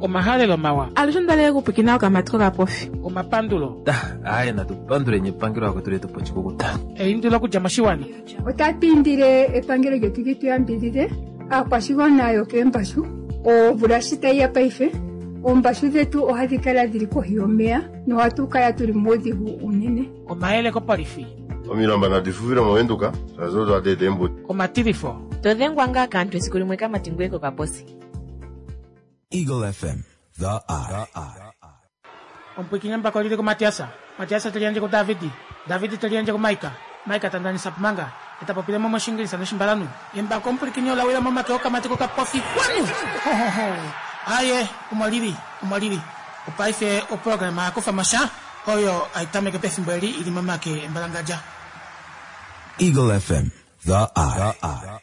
Omahalelo mawa. Alushe onda okupwikina okamati kokapofi. Omapandulo. Aye natu panduleni epangelo akwetu letu pochikukuta. Eindilo okudja moshiwana. Otatu indile epangelo lyetu li tu yambidhidhe aakwashigwana yokeembashu. Omvula shi tayi ya paife, oombashu dhetu ohadhi kala dhili kohi yomeya nohatu kala tuli muudhigu uunene. Omayele kopolifi. Omilamba nadi fufile moVenduka, shaashi odo hadi eta eembudi. Omatilifo. To dhengwa ngaa kaantu esiku limwe kamati ngoye kokaposi. Eagle FM, the eye. Omupwiikini embako lili kuMatiasa, Matiasa te liyandje kuDavidi, Davidi te liyandje kuMaika, Maika ta ndanisa Pumanga, e ta popile mo mOshiingilisa nOshimbalanhu. Embako omupwilikini ola wila momake okamati kokapofi. Kwanu! Ho, ho, ho! Aye, omo lili, omo lili. Opaife oprograma ya kufa mo sha, oyo hai tameke pefimbo eli i li momake embalangadja. Eagle FM, the eye.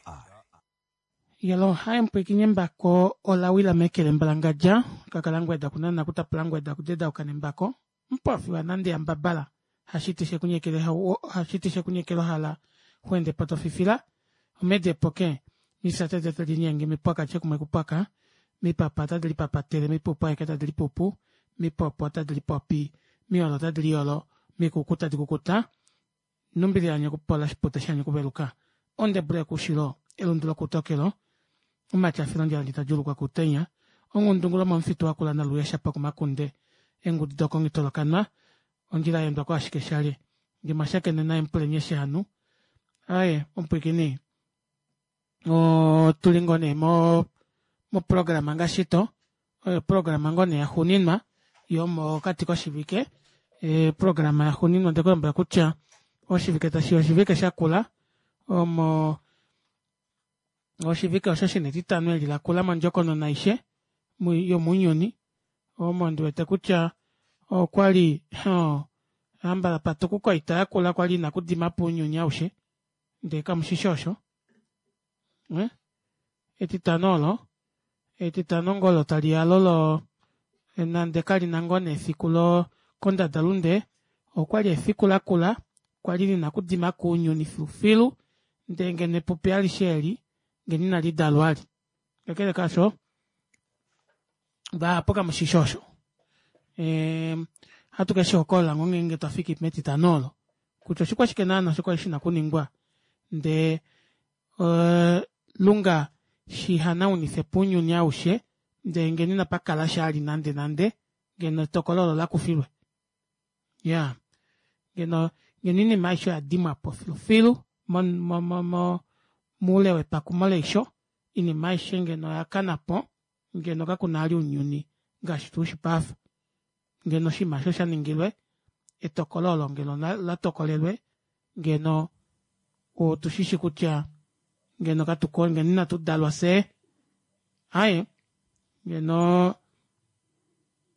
Yelo haye mupwiikini embako ola wila meke lembalangadja, kakala ngweda kunana kutapula ngweda kudedauka nembako, mupofi wa nande yambabala, hashiti shekunyekele hashiti shekunyekela hala huende po tofifila, omede poke, mifya tete tadi linyenge mipwaka chekumwe kupwaka, mipapa tadi lipapatele mipupu aeke tadi lipupu, mipopo tadi lipopi, miolo tadi liolo, mikuku tadi kukuta, Nhumbi li anya okupola shipute shanya okuveluka, ondebule yokuushilo, elundu lokuutokelo, omatyafilo ondjala ta djuulukwa kuutenya, ongundungu lomomufitu wakula naluya shapo komakunde, eengudu dokongitolokanwa, ondjila ya endwa ko ashike shali nge mwa shakene naye mupuleni eshi hanu. Aaye, omupwiikini, otu li ngoo nee mo moprograma ngaashi to oyo oprograma ngoo nee yaxuuninwa yomokati koshivike eeprograma yaxuuninwa onde ku lombwela kutya oshivike tashi oshivike shakula omo oshivike osho shina etitano eli lakula mondjokonona aishe yomounyuni omo ndi wete kutya okwali hambala patukuka oita yakula kwali ina kudima po ounyuni aushe ndee kamushishi osho eh? Etitano olo Etitano ngoo olo tali ya lolo nande kali na ngoo nee efiku lo kondadalunde, okwali efiku lakula kwali lina okudima kuunyuni filufilu ndee ngeno epupi alishe eli ngeno inali dalwa ali. Kakele kaasho, vahapu kamushishi osho. Ehm, ohatu ke shi hokolola ngoo ngeenge twa fiki metitano olo kutya oshikwashike naana osho kwali shina okuningwa ndee Lunga shi hanaunife po ounyuni aushe, ndele ngeno inapa kala sha ali nandenande, ngeno etokolo olo la kufilwe. Ya. Ngeno, ngeno oinima aishe oya dimwa po filufilu, mo, mo, mo, mo, moule wepakumo leisho, oinima aishe ngeno oya kana po, ngeno kaku na ali ounyuni ngaashi tu u shi paife. Ngeno oshinima osho sha ningilwe, etokolo olo ngeno la tokolelwe, ngeno otu shi shi kutya ngeno katu ko ngeno inatu dalwa fye aye ngeno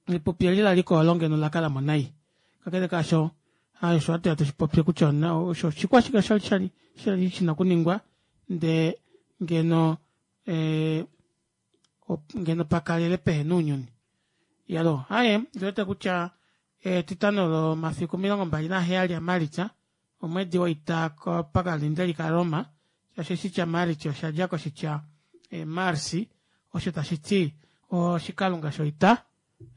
epupi eli la liko olo ngeno la kala mo nai kakele kaasho aye osho hatu ya tushi popye kutya osho oshikwashike shali shali shali shina okuningwa ndee ngeno eh, ngeno pa kalele pehe nounyuni. Yalo, aye, ndi wete kutya Etitano lomafiku 27 aMalitsa, omwedi woita pakalindeli kaRoma, shaashi oshitya Maalitsa osha dja koshitya Marsi, osho tashi ti oshikalunga shoita.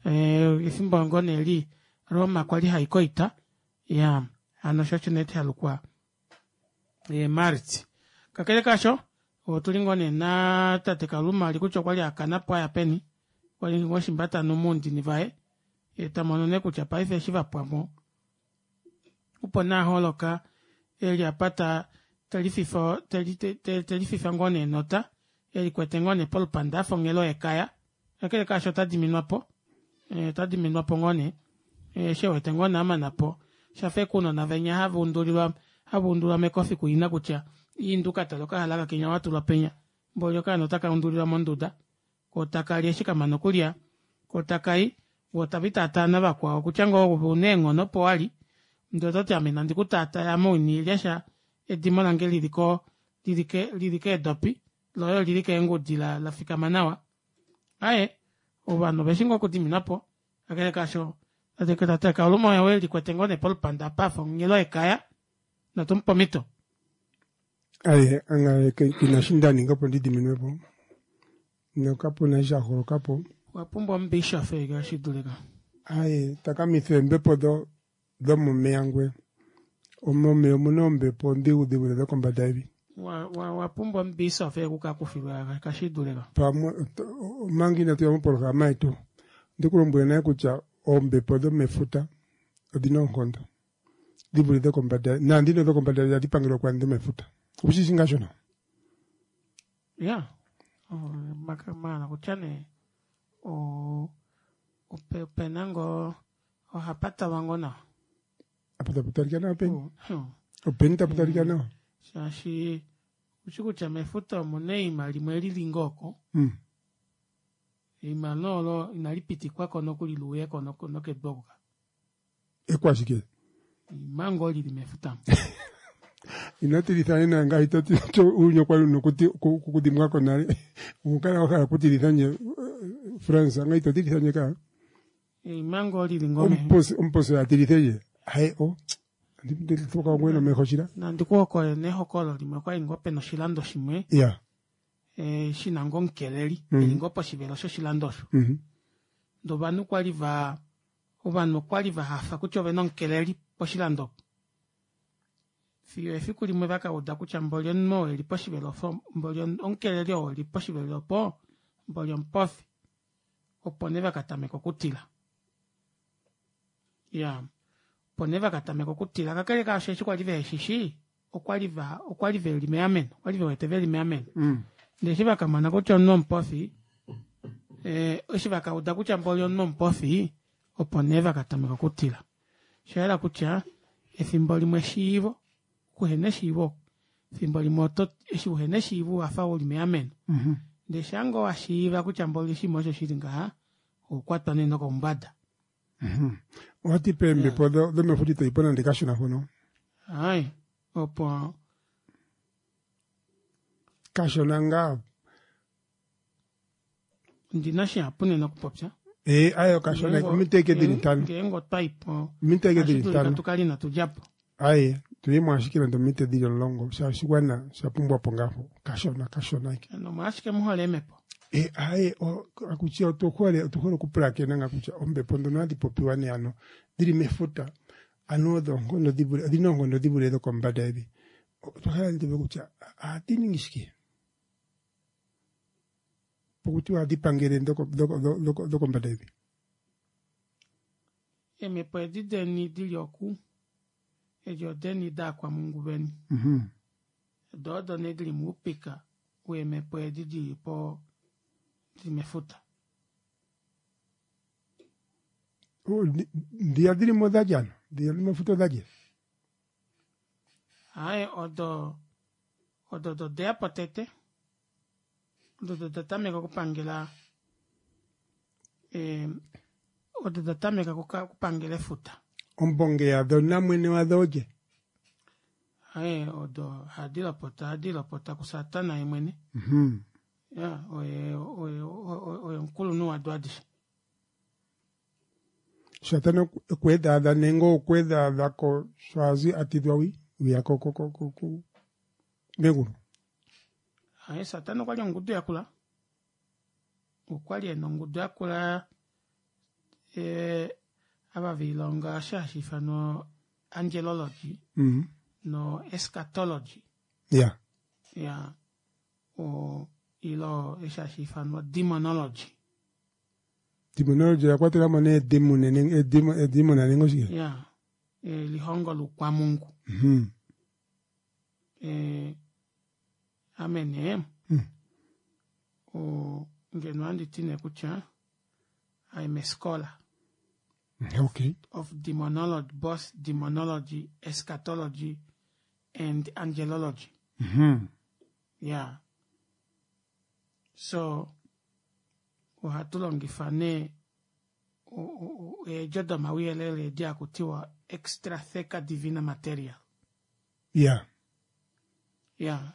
Efimbo ngoo nee li Roma kwa li hai koita, ya hano osho osho nee sha lukwa Maalitsa. Kakele kaasho, otu li ngoo nee natate Kaluma ali kutya okwa li a kana po a ya peni, okwa li ngoo shimbatano muundini vaye. Ye ta mono nee kutya paife eshi va pwa mo, opo nee a holoka e li apa ta te lififa te li te te lififa ngoo nee enota, e likwete ngoo nee polupanda a fa onghelo yekaya. Kakele kaasho ota diminwa po, ota diminwa po ngoo nee eshi e wete ngoo nee a mana po. Sha fa ashike ounona venya hava undulilwa hava undulwa mekofi kuina kutya inda u ka tale okahalaka kenya wa tulwa penya, mboli okaana otaka undulilwa monduda. Ko taka li eshi ka mana okulya, ko taka i, vo tave i taataa navakwao, kutya ngoo ove u na eenghono opo wa li, ndele oto ti ame inandi ku taataya ame ou ina lya sha, edimo lange lili ko, lili ke, lili keedopi, loye olili keengudi la, la fikama nawa. Aye, ovanhu ove shi ngoo okudiminwa po. Kakele kaasho, tate, tate Kauluma oye e likwete ngoo nee polupanda apa a fa onghelo yekaya, natu mu pe omhito. Aye, anga ke na eshi nda ninga opo ndi diminwe po. Nokapu na eshi sha holoka po. Owa pumbwa omubishop ngaashi dulika. Aye, takamitha eembepo do domomeya ngwe. Omomeya omuna oombepo ondhigu dhi vule dhokombanda yevi. Wa, wa, wa pumbwa omubishop ekukakufilwa kashi dulika. Pamwe omanga inatu ya mopolohalama yetu, ondi ku lombwele nale kutya oombepo dhomefuta odhina oonkondo dhi vule dhokombanda, naandhino dhokombanda yevi ohadhi pangelwa kwaandhi dhomefuta. Owu shi shi ngaa shono? Ya, maala kutya nee opena ngoo ohapa talwa ngoo nawa. Apa tapu talika nawa peni? Openi tapu talika nawa? Shaashi ushi kutya mefuta omuna eima limwe lili ngoo oko. Eima nee olo inali pitikwako nokuli luuyeko nokedu oku ka. Ekwashike? Eima ngoo lili mefuta. Ino tilitha nena ngaashi to ti uuyuni okwa li una okudhimbwa ko nale. Okukala wa hala okutilitha ndje Frans, anga ito tilitha ndje kaa. Eima ngoo lili ngoo Omuposi omuposi a tilithe ndje. Haye o. Ndithuka ngwe nomeho shila. Nandi ku hokolole nee ehokololo limwe okwali ngoo pena oshilando shimwe. Ya. Shina ngoo omukeleli eli ngoo poshivelo shoshilando osho. Ndee ovanhu kwali va ovanhu okwali va hafa kutya ovena omukeleli poshilando opo. Fiyo efiku limwe va ka uda kutya mboli omunhu oo eli poshivelo mboli omukeleli oo eli poshivelo opo mboli omupofi. Opo nee va ka tameka okutila. Ya, opo nee va ka tameka okutila. Kakele kaasho eshi kwa li vehe shi shii, okwa li va okwa li ve li meameno, okwa li ve wete ve li meameno. Ndele eshi va ka mona kutya omunhu omupofi, eh, eshi va ka uda kutya mboli omunhu omupofi, opo nee va ka tameka okutila. Osha yela kutya efimbo limwe eshiivo, okuhena eshiivo, efimbo limwe oto eshi uhena eshiivo owa fa uli meameno. Ndele shaa ngoo wa shiiva kutya mboli oshinima osho shili ngaha, oho kwatwa nee nokoumbada. Owati peembepo domefuta ito ipo nande kashona mpono. Hai, opo kashona ngaa. Ondina shihapu nena okupopya. Ee, ayo kashona ominute eke dili ntano. Ngeenge otwa ipo. Ominute eke dili ntano. Tu kale inatu dja po. Aye, tuyemo ashike nande ominute dili 10, shaashi oshiwana osha pumbwa po ngaho. Kashona, kashona eke. Nomolwashike mu hole eemhepo? E, aye, akutya otu hole, otu hole okupulakena nga kutya ombepo ndono hadhi popiwa nee ano dhili mefuta, ano odho oonkondo dhi vule, odhina oonkondo dhi vule dhokombada yevi. Otwa hala nee tuuve kutya ohadhi ningi shike? Pokutiwa ohadhi pangele dhokombada yevi. Eemhepo edi deni di li oku, edi odeni daakwamhungu veni. Do odo nee di li moupika weemhepo edi di li po di li mefuta. Ndiya dhi li mo odha lye ano? Dhiya dhi mefuta odha lye? Aaye, odo odo odo deya po tete. Odo odo da tameka okupangela eh, odo da tameka okupangela efuta. Ombonge yadho namwene wadho olye? Aye, odo hadi lopota, hadi lopota kuSatana ye mwene. Ya, oye oye oye omukulunhu wado adishe. Satana okweedhaadha nenge okweedhaadha ko sho a zi a tidhwa wi wiya ko ko ko ko ko megulu. Aye, Satana okwa li ongudu yakula. Okwa li e na ongudu yakula eh, ava ve ilonga osho hashi ifanwa angelology no eschatology. Ya. Ya, o ilo eshi hashi ifanwa demonology. Demonology oya kwatela mo nee edemon nenge edemon nenge oshike? Ya, elihongo loukwamungu. Ame nee, o, ngeno ohandi ti nee kutya I'm a scholar. Okay. Of demonology, both demonology, eschatology and angelology. Yeah. So, ohatu longifa nee eedjo domauyelele edi haku tiwa extratheca divina material. Yeah. Yeah.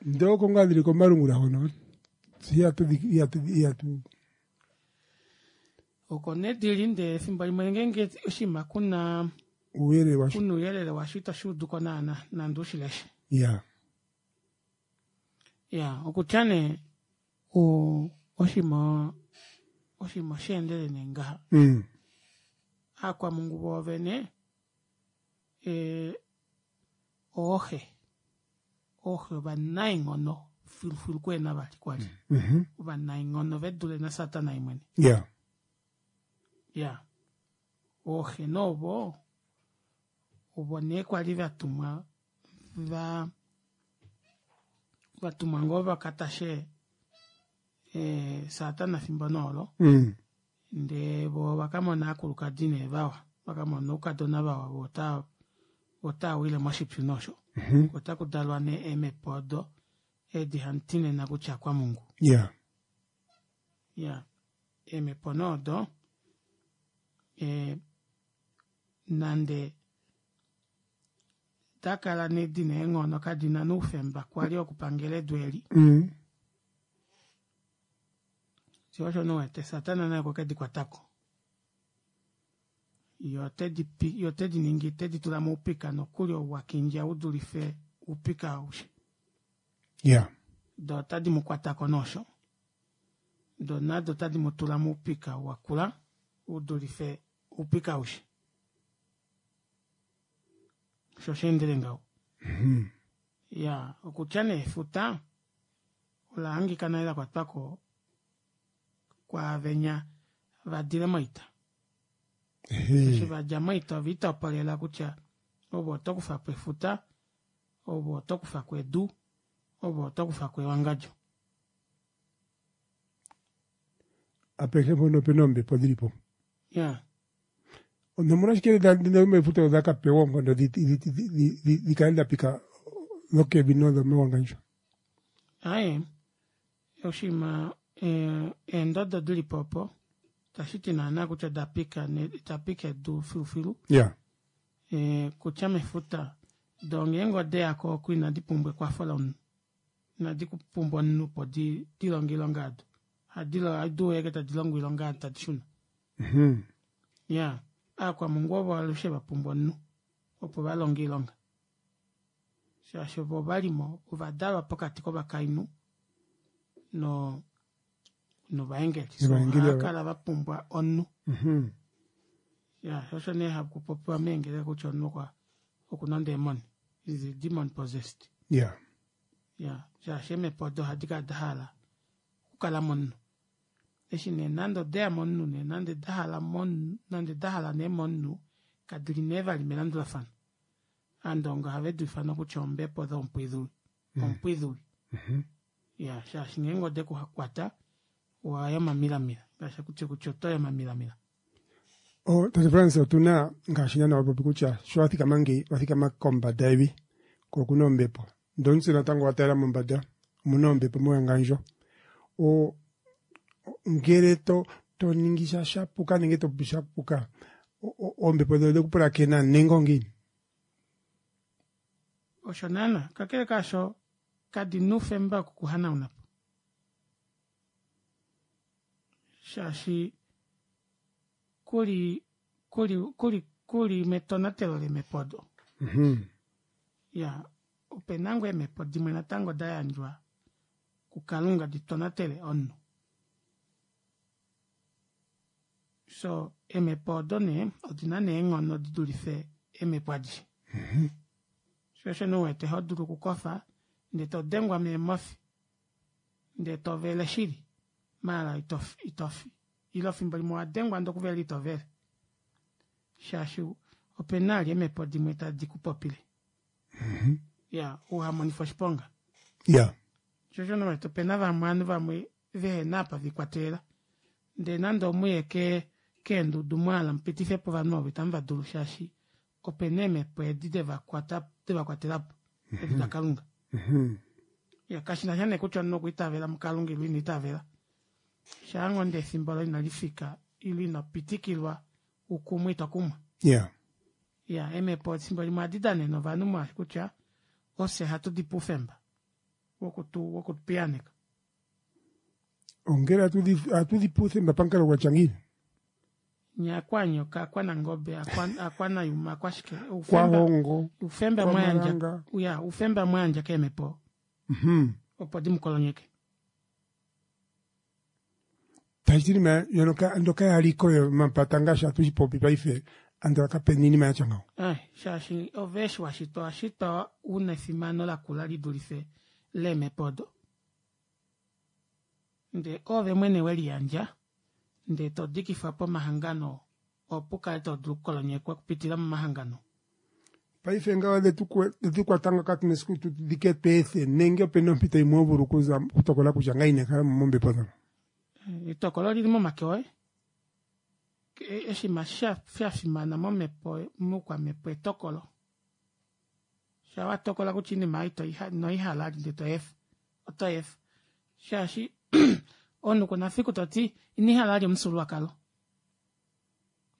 Ndee oko ngaa dhili komalungula hono ihatu ihatu ihatu oko nee dili ndee efimbo limwe ngeenge oshinima kuna ouyelele washo kuna ouyelele washo ito shi udu ko naana nande u shi leshe. Yeah. Ya, okutya nee o, oshinima Oshinima osheendele nee ngaha. Aakwamungu voovene eh, ooxe ooxe ovanaenghono filufilu kuena vali kwali ovanaenghono ve dule nasatana ye mwene. Ya. Ya, ooxe noovo ovo nee kwali vatumwa va vatumwa ngoo vakatashe eh, satana fimbo noolo. Ndee vo vakamona aakulukadi nee vawa, vakamona oukadona vawa vo ota otawile moshipyu nosho. Ota kudalwa nee eemhepo odo edi hamuti nena kutya kwamungu. Ya. Ya, eemhepo nee odo eh, nande dakala nee dina eenghono kadina noufemba kwali okupangela edu eli. Sho osho nee uwete satana naye okwe kedi kwatako. Ye otedi pi ye otedi ningi tedi tula moupika nokuli ou wakindja udulife oupika aushe. Ya. Do otadi mu kwatako nosho. Do nado otadi mu tula moupika wakula udulife oupika aushe. Osho osheendele ngaho. Ya, okutya nee efuta ola hangika nale lakwatwako kwaavenya vadile moita. Eshi vadja moita ove itopolela kutya ove oto kufapo efuta, ove oto kufako edu, ove oto kufako ewangadjo. Apehe mpono opena oombepo dhili po. Ya. Nomolwashike dhomefuta odha ka pewa oonkondo dhi dhi dhi kale dha pika dhokevi nodhomewangandjo? Aaye, oshinima eendodo dili po opo itashi ti naana kutya oda pika da pika edu filufilu. Ya. Kutya mefuta doo ngeenge odeyako oku inadi pumbwa ekwafo lomunhu. Inadi pumbwa omunhu opo di dilonge oilonga yado. Ohadi ohadi uya ashike tadi longo oilonga yado tadi shuna. Ya, aakwamungu ovo alushe va pumbwa omunhu opo va longe oilonga. Shaashi ovo ovalimo ovadalwa pokati kovakainhu no novaengeli. So Novaengeli ohava ava. kala va pumbwa omunhu. Ya, sho osho nee haku popiwa meengeleka kutya omunhu okwa okuna ondeemoni. Is a demon possessed. Ya. Ya, shaashi eemhepo odo ohadi kala da hala okukala momunhu. Eshi nee nande odeya momunhu nee nande dahala momunhu nande dahala nee momunhu kadili nee vali melandulafano. Aandonga ohave di ifana kutya ombepo dhompwidhuli ompwidhuli. Ya, shaashi ngeenge ode ku kwata owaya omamilamila ngaashi akutya kutya otoyi omamilamila. Oh, Tate Frans, otuna ngaashi naana wa popi kutya sho wa thikama ngeyi wa thikama kombanda yevi ko okuna ombepo ndele omutse natango wa taalela mombanda omuna ombepo mewangandjo. O ngele to to ningi sha shapuka nenge to popi sha puka oombepo dhono odhe ku pulakena nenge ongiini? Osho naana, kakele kaasho kadina oufemba wokukuhanauna po. Shaashi kuli kuli kuli kuli metonatelo leemhepo odo. Ya, opena ngoo eemhepo dimwe natango da yandjwa kuKalunga di tonatele omunhu. So eemhepo odo nee odina nee eenghono di dulife eemhepo adishe. Sho osho nee uwete ho dulu okukofa ndee todengwa meemofi ndee tovele shili maala itofi itofi ile efimbo limwe owadengwa ndee okuvela itovele shaashi opena vali eemhepo dimwe tadi kupopile. Ya, uhamonifwe oshiponga. Ya. Sho osho nee uwete opena vamwe ovanhu vamwe vehena apa vikwatelela ndee nande omuye ke keendudu mwahala mupitifepo ovanhu ovo itamu vadulu shaashi opena eemhepo edi devakwata devakwatelapo edi dakalunga. Ya, kashinasha nee kutya omunhu okwa itavela mukalunga ile ina itavela shaa ngoo ndee efimbo olo inalifika ile ino pitikilwa ukumwe ito kumwa. Ya. Ya, eemhepo efimbo limwe ohadi danene ovanhu mwaashi kutya ofye ohatu dipe oufemba wokutu wokutupiyaaneka. Ongele ohatu dhi pe uuthemba pamukalo gwa tya ngiini? Nye akwaanyoka, akwanangobe, akwanayuma, akwashike, oufemba Kwahongo, oufemba mwa yandja kwamalanga. ya, oufemba mwa yandja keemhepo opo di mu kolonyeke. Tashi iinima yono ando kaya li ko yomapata ngaashi hatu shi popi paife andola kapena iinima ya tya ngawo. Eh, shaashi ove eshi wa shitwa owa shitwa u na efimano lakula li dulife leemhepo odo. Ndee oove mwene we liyandja ndee to dikifwa po omahangano opo u kale to dulu okukolonyekwa okupitila momahangano. Paife ngawo odhe tu kwata nga katu na esiku tu dhike tu ethe nenge opena ompito yimwe ho vulu okuza okutokola kutya ngaye ine kala mo mombepo dhono. Etokolo olili momake oye. Oshinima sha fimana momhepo moukwamhepo etokolo. Sha wa tokola kutya oinima ei ino i hala ndee to efa, oto efa. Shaashi omunhu kuna fiku toti ina hala vali omufyuululwakalo.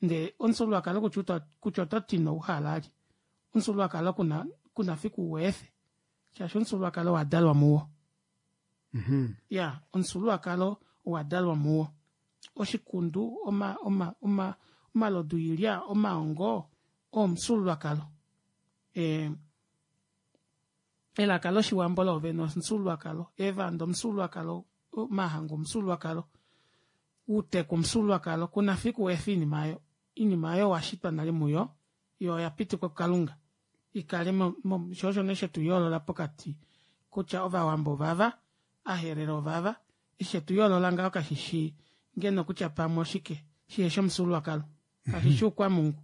Ndee omufyuululwakalo kutya oto ti ino uhala vali, omufyuululwakalo kuna kuna fiku uweefe shaashi omufyuululwakalo owa dalwa muwo. Ya omufyuululwakalo owa dalwa muwo. Oshikundu, oma oma oma omalodu oilya, omaongo oo omufyuululwakalo. E, elaka loshiwambo loovene omufyuululwakalo, eevanda omufyuululwakalo, omahangu omufyuululwakalo, uuteku omufyuululwakalo, kuna fiku weefe iinima aayo. Iinima aayo owa shitwa nale muyo, yo oya pitikwa kuKalunga ikale mo, mo, sho osho nee shetu yoolola pokati kutya Ovawambo ovava, Aherero ovava, eshi shetu yoolola ngaho kashi shi ngeno kutya pamwe oshike shiheshi omufyuululwakalo, kashi shi oukwamungu.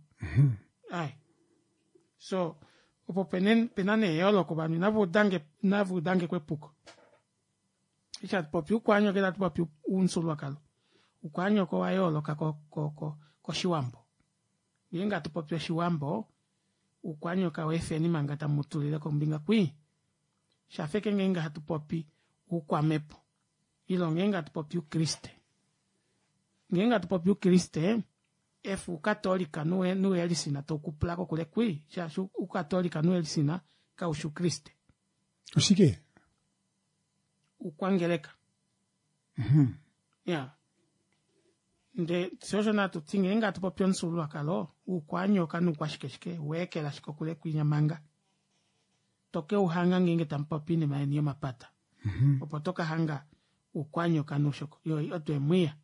Ai. So, opo pene, pena nee eyooloko ovanhu inava udange, inava udange kwepuko. Eshi hatu popi oukwaanyoka itatu popi oumufyuululwakalo. Oukwaanyoka owa yooloka ko, ko, ko, kOshiwambo. Ngeenge hatu popi Oshiwambo, oukwanyoka weefeni manga tamu tulile kombinga kwii. Shafeke ngeenge hatu popi oukwamhepo ile ngeenge hatu popi oukriste. Ngeenge hatu popi oukriste, efa oukatolika nuuelisina tau kupula kokule kwii, shaashi oukatolika nuuelisina kau shi oukriste. Oshike? Oukwangeleka. Ya. Nde sho osho natu ti ngeenge hatu popi omufyuululwakalo, oukwanyoka noukwashikeshike, weekela ashike okule kwinya manga. To ke u hanga ngeenge tamu popi oinima yeni yomapata. Opo to ka hanga oukwanyoka noushoko. Yo odo eemwiya.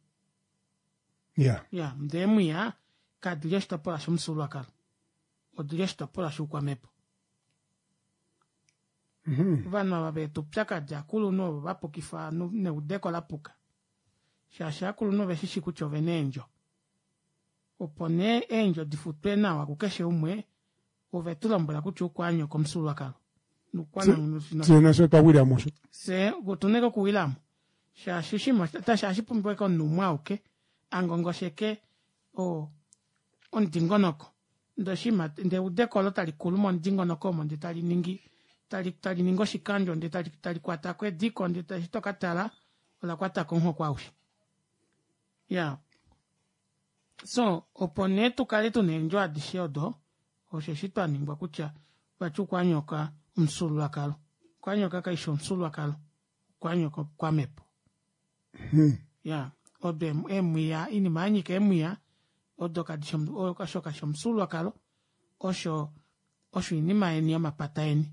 Ya. Ya, ndee eemwiya kadi li oshitopolwa shomufyuululwakalo. Odi li oshitopolwa shoukwamhepo. Ovanhu ava veeta oupyakadi akulunhu ovo va pukifa ovanhu neudeko la puka. Shaashi aakulunhu ove shi shi kutya ove na eendjo. Opo nee eendjo di futwe nawa kukeshe umwe, ove tu lombwela kutya oukwaanyoko omufyuululwakalo. Fye nafye otwa wila mo osho. Fye otu na okuwila mo. Shaashi oshinima otashi ohashi pumbiwa ashike omunhu umwe auke a ngongosheke omudingonoko. Ndee oshinima ndee eudeko olo tali kulu momudingonoko omo ndee tali ningi tali tali ningi oshikandjo ndee tali tali kwata ko ediko ndee eshi to ka tala ola kwata ko omuhoko aushe. Ya. So, opo nee tu kale tu na eendjo adishe odo, osheshi twa ningwa kutya vati okwanyoka omufyuululwakalo. Okwanyoka kai shi omufyuululwakalo, okwanyoka okwamhepo. Ya, odo eemwiya, oinima ya nyika eemwiya, odo kadi shi osho kashi omufyuululwakalo, osho osho oinima yeni yomapata eni.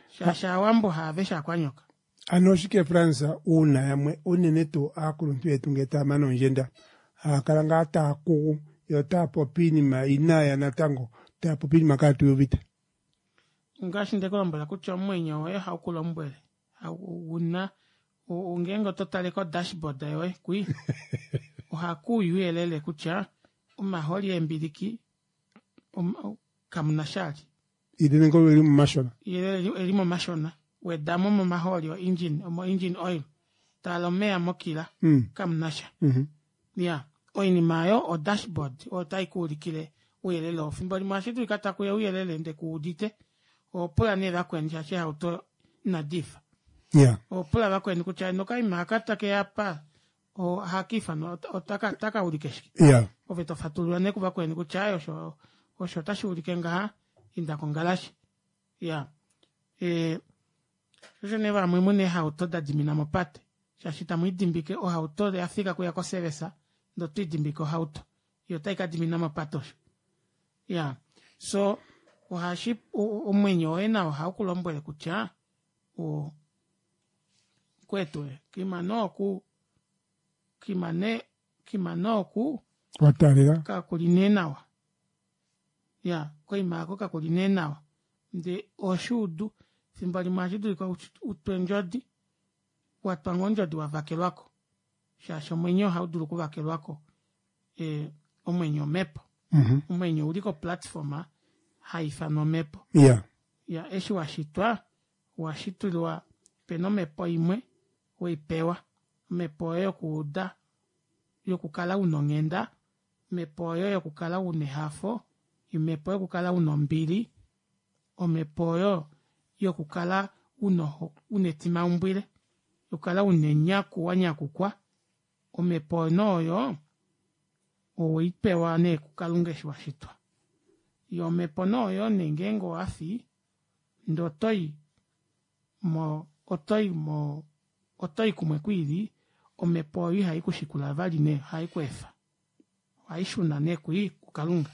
Shaashi Aawambo haaveshe aakwanyoka. Ano oshike Frans uuna yamwe unene tuu aakuluntu yetu ngele taya mana oondjenda haya kala ngaa taya kugu yo otaya popi iinima inaaya natango taya popi iinima kaatu yi uvite? Ngaashi nde ku lombwela kutya omwenyo woye ohau ku lombwele. Ouna ngeenge oto tale ko dashboard yoye kwi ohaku uya ouyelele kutya omahooli eembiliki kamu na sha ali. Ile nenge eli momashona. Ile eli momashona. Wedamo momahooli o engine, omo engine oil. Tala omeya mokila. Kamu na sha. Ya, oinima oyo o dashboard oyo tai ku ulikile ouyelele oo. Fimbo limwe ohashi dulika taku uya ouyelele nde ku udite. Oho pula nee vakweni shaashi eehauto inadi fa. Oho pula vakweni kutya nokaima aka take ya apa ohaka ifanwa otaka otaka ulike shike yeah. Ove to fatulula nee kuvakweni kutya aye osho osho otashi ulike ngaha inda kongalashe ya e, osho nee vamwe muna eehauto da dimina mopate shaashi tamu idimbike ohauto ya fika kuya koservice ndo to idimbike ohauto yo otai ka dimina mopate osho ya so ohashi omwenyo woye nao ohau ku lombwele kutya o kwetu kima no ku kima ne Kima nee oku Wa taalela. Kakuli nee nawa. Ya, koima aako kakuli nee nawa. Ndee oshuudu, efimbo limwe ohashi dulika utwe ondjodi, watwa ngoo ondjodi wavakelwako. Shaashi omwenyo ohaudulu okuvakelwako e, omwenyo omhepo. Omwenyo ouli ko platform haifanwa omhepo. Ya, eshi washitwa, owashitulwa pena omhepo imwe weipewa. Omhepo oyo yokuuda, yokukala una onghenda, omhepo oyo yokukala una ehafo, omhepo yokukala una ombili, omhepo oyo yokukala una una etimaumbwile, yokukala una enyaku wanyakukwa. Omhepo oyo nee oyo oweipewa nee kuKalunga eshi washitwa. Yoo omhepo nee oyo nee ngeenge owafi ndee otoyi mo otoyi mo otoyi kumwe kwiili omhepo oyo ihai kushikula vali nee ohai kweefa ohai shuna nee kwii kuKalunga.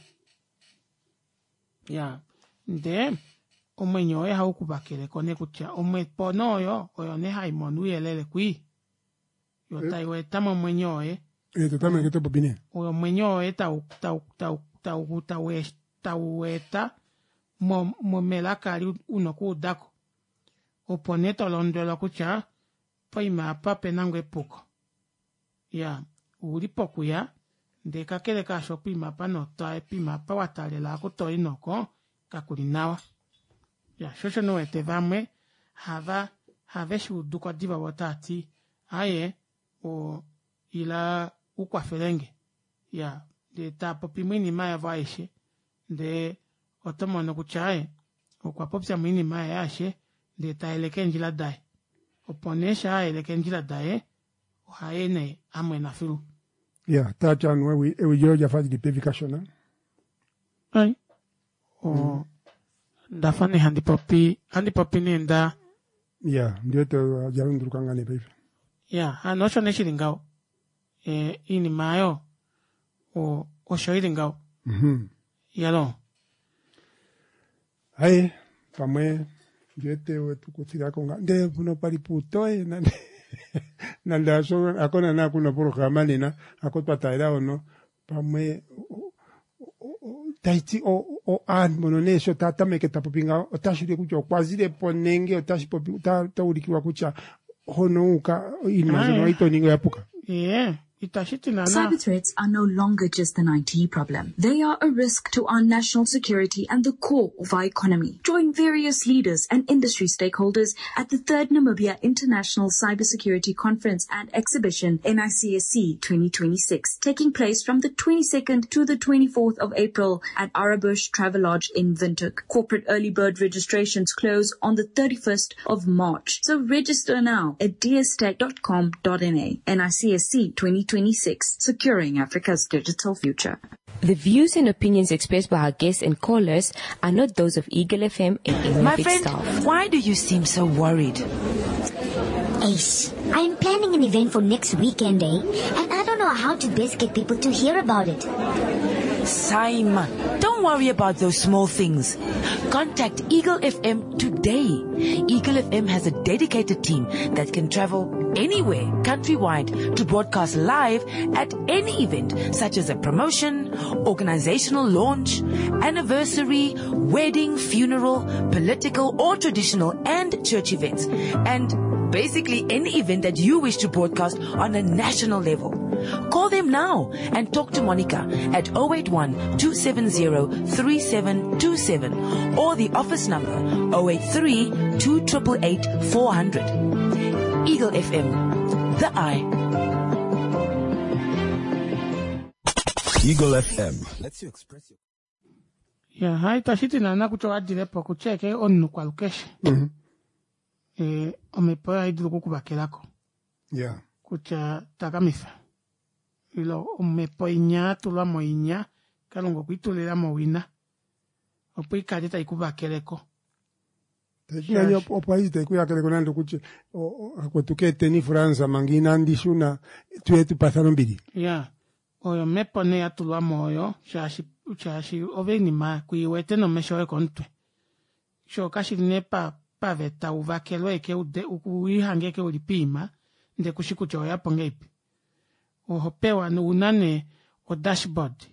Ya ndee omwenyo woye ohau kuvakeleko nee kutya omhepo nee oyo oyo nee haimono ouyelele kwii yo tai weeta momwenyo woye. Ee totameke topopi nee. Omwenyo woye tau tau tau tau tau tau weeta mo melaka ali una okuudako. Opo nee tolondwelwa kutya poima apa opena ngoo epuko. Iyaa, ouli pokuya, ndee kakele kaasho poima apa notwa poima apa wataalela oku toi noko kakuli nawa. Iyaa, sho osho nee uwete vamwe hava have shuuduko diva voo otaati aaye o ila ukwafelenge. Iyaa, ndee taapopi moinima yavo aishe ndee oto mono kutya aaye okwa popya moinima yaye aishe ndee tayeleke eendjila daye. Opo nee shaa ayeleke eendjila daye ohaye nee amwena filu. Ya, tati anuwa ewi, ewi lyoye olya fa lili pevi kashona. Ai. O, ndafa nee handi popi, handi popi nee nda. Ya, ndi wete olya lunduluka ngaa nee paife. Ya, hano osho nee shili ngaho. E, iinima ayo, o, osho ili ngaho. Iyaloo. Aye, pamwe ndi wete wetu kuthilako nga ndele mpono pali puutoye nande nande hasho hako naana kuna opolohalama nena hako twa taalela hono pamwe tashi ti aantu mbono nee sho taa tameke ta popi ngaho otashi ulike kutya okwa zile po nenge otashi popi ota ulikilwa kutya hono wu uka iinima mbyono ito ningi oya puka. Ee, itashi ti naana. Cyber threats are no longer just an IT problem. They are a risk to our national security and the core of our economy. Join various leaders and industry stakeholders at the third Namibia International Cybersecurity Conference and Exhibition, NICSC 2026, taking place from the 22nd to the 24th of April at Arabush Travelodge in Windhoek. Corporate early bird registrations close on the 31st of March. So register now at dstech.com.na. NICSC 2026, securing Africa's digital future. The views and opinions expressed by our guests and callers are not those of Eagle FM and any My of its friend, staff. why do you seem so worried? Ace, I am planning an event for next weekend, eh? And I don't know how to best get people to hear about it. Simon, don't worry about those small things. Contact Eagle FM today. Eagle FM has a dedicated team that can travel anywhere countrywide to broadcast live at any event such as a promotion, organizational launch, anniversary, wedding, funeral, political or traditional and church events. And basically any event that you wish to broadcast on a national level. Call them now and talk to Monica at 081 270 3727 or the office number 083 2888 400. Eagle FM, the eye. Eagle FM lets you express your Ya, ha itashi ti naana kutya owa dile po kutya eke omunhu kwalukeshe. Eh, omhepo oyo ohai dulu okukuvakelako. Ya. Kutya takamifa. Ile omhepo inya ya tulwa moinya, Kalunga okwe i tulila mowina opo i kale tai ku vakeleko. Nani opo aishi tai ku yakeleko nande okutye akwetu keeteni France manga inandi shuna tuye tupathane ombili. Ya, oyo omhepo nee ya tulwa mo oyo shaashi shaashi ove oinima ku i wete nomesho oye komutwe. Sho kashi li nee pa paveta u vakelwe eke ude u lihange eke uli piima ndee kushi kutya oweya po ngeipi. Oho pewa ouna nee o-dashboard.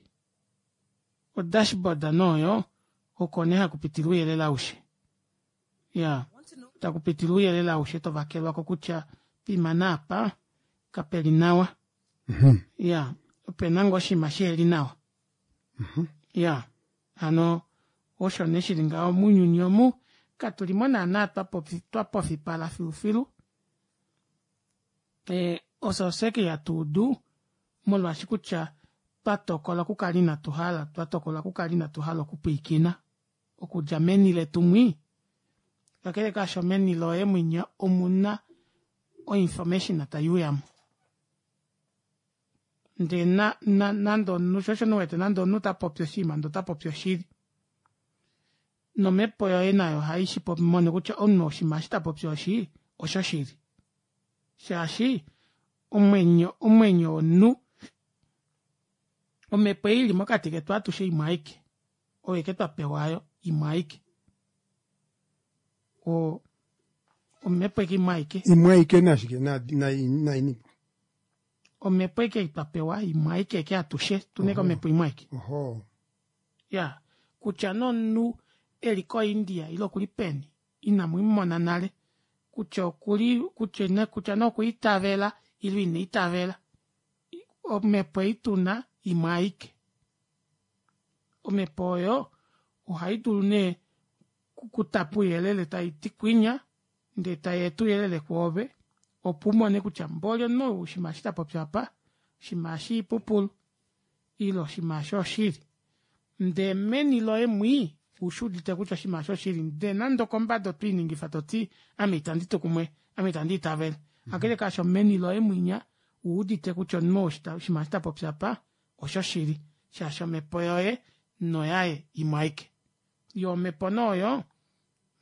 O-dashboard nee oyo oko nee hakupitile ouyelele aushe. Iyaa takupitile ouyelele aushe tovakelwako kutya poima naapa kapeli nawa. Iyaa opena ngoo oshinima shiheli nawa. Iyaa hano osho nee shili ngaho mounyuni omu katulimo naana twapofipala filufilu ofye ashike hatuudu molwaashi kutya twatokola okukala ina tuhala twatokola okukala ina tuhala okupwiikina okudja meni letu mwii kakele kaasho meni loye mwinya omuna o information taiuyamo ndee na na nande omunhu sho osho nee uwete nande omunhu tapopi oshinima ndee otapopi oshili nomepo yoye nayo ohai mono kutya omunhu oshinima eshi tapopi eshi oshoshili shaashi omwenyo omwenyo womunhu omepo ei ili mokati ketu atushe imwe aike oyo ashike twapewa aayo imwe aike o omepo ashike imwe aike Imwe aike nashike nainipo? Omepo ashike ei twapewa imwe aike ashike atushe otuna ashike omepo imwe aike. Oho. Iyaa kutya nee omunhu eli ko india ile okuli peni inamumona nale kutya okuli kutya nee okwa itavela ile ina itavela omepo ei tuna imwe aike. Omepo oyo ohai dulu nee okutapa ouyelele taiti kwinya ndee tayeeta ouyelele kwoove opo umone kutya mboli omunhu ou oshinima eshi tapopi apa oshinima eshi oipupulu ile oshinima eshi oshili ndee meni loye mwii ushuudite kutya oshinima eshi oshili ndee nande okombada otwiiningifa toti ame itandi tu kumwe ame itandi itavele kakele kaasho meni loye mwinya owuudite kutya omunhu ou oshinima eshi tapopi apa oshoshili shaashi omepo yoye noyaye imwe aike yoo omepo nee oyo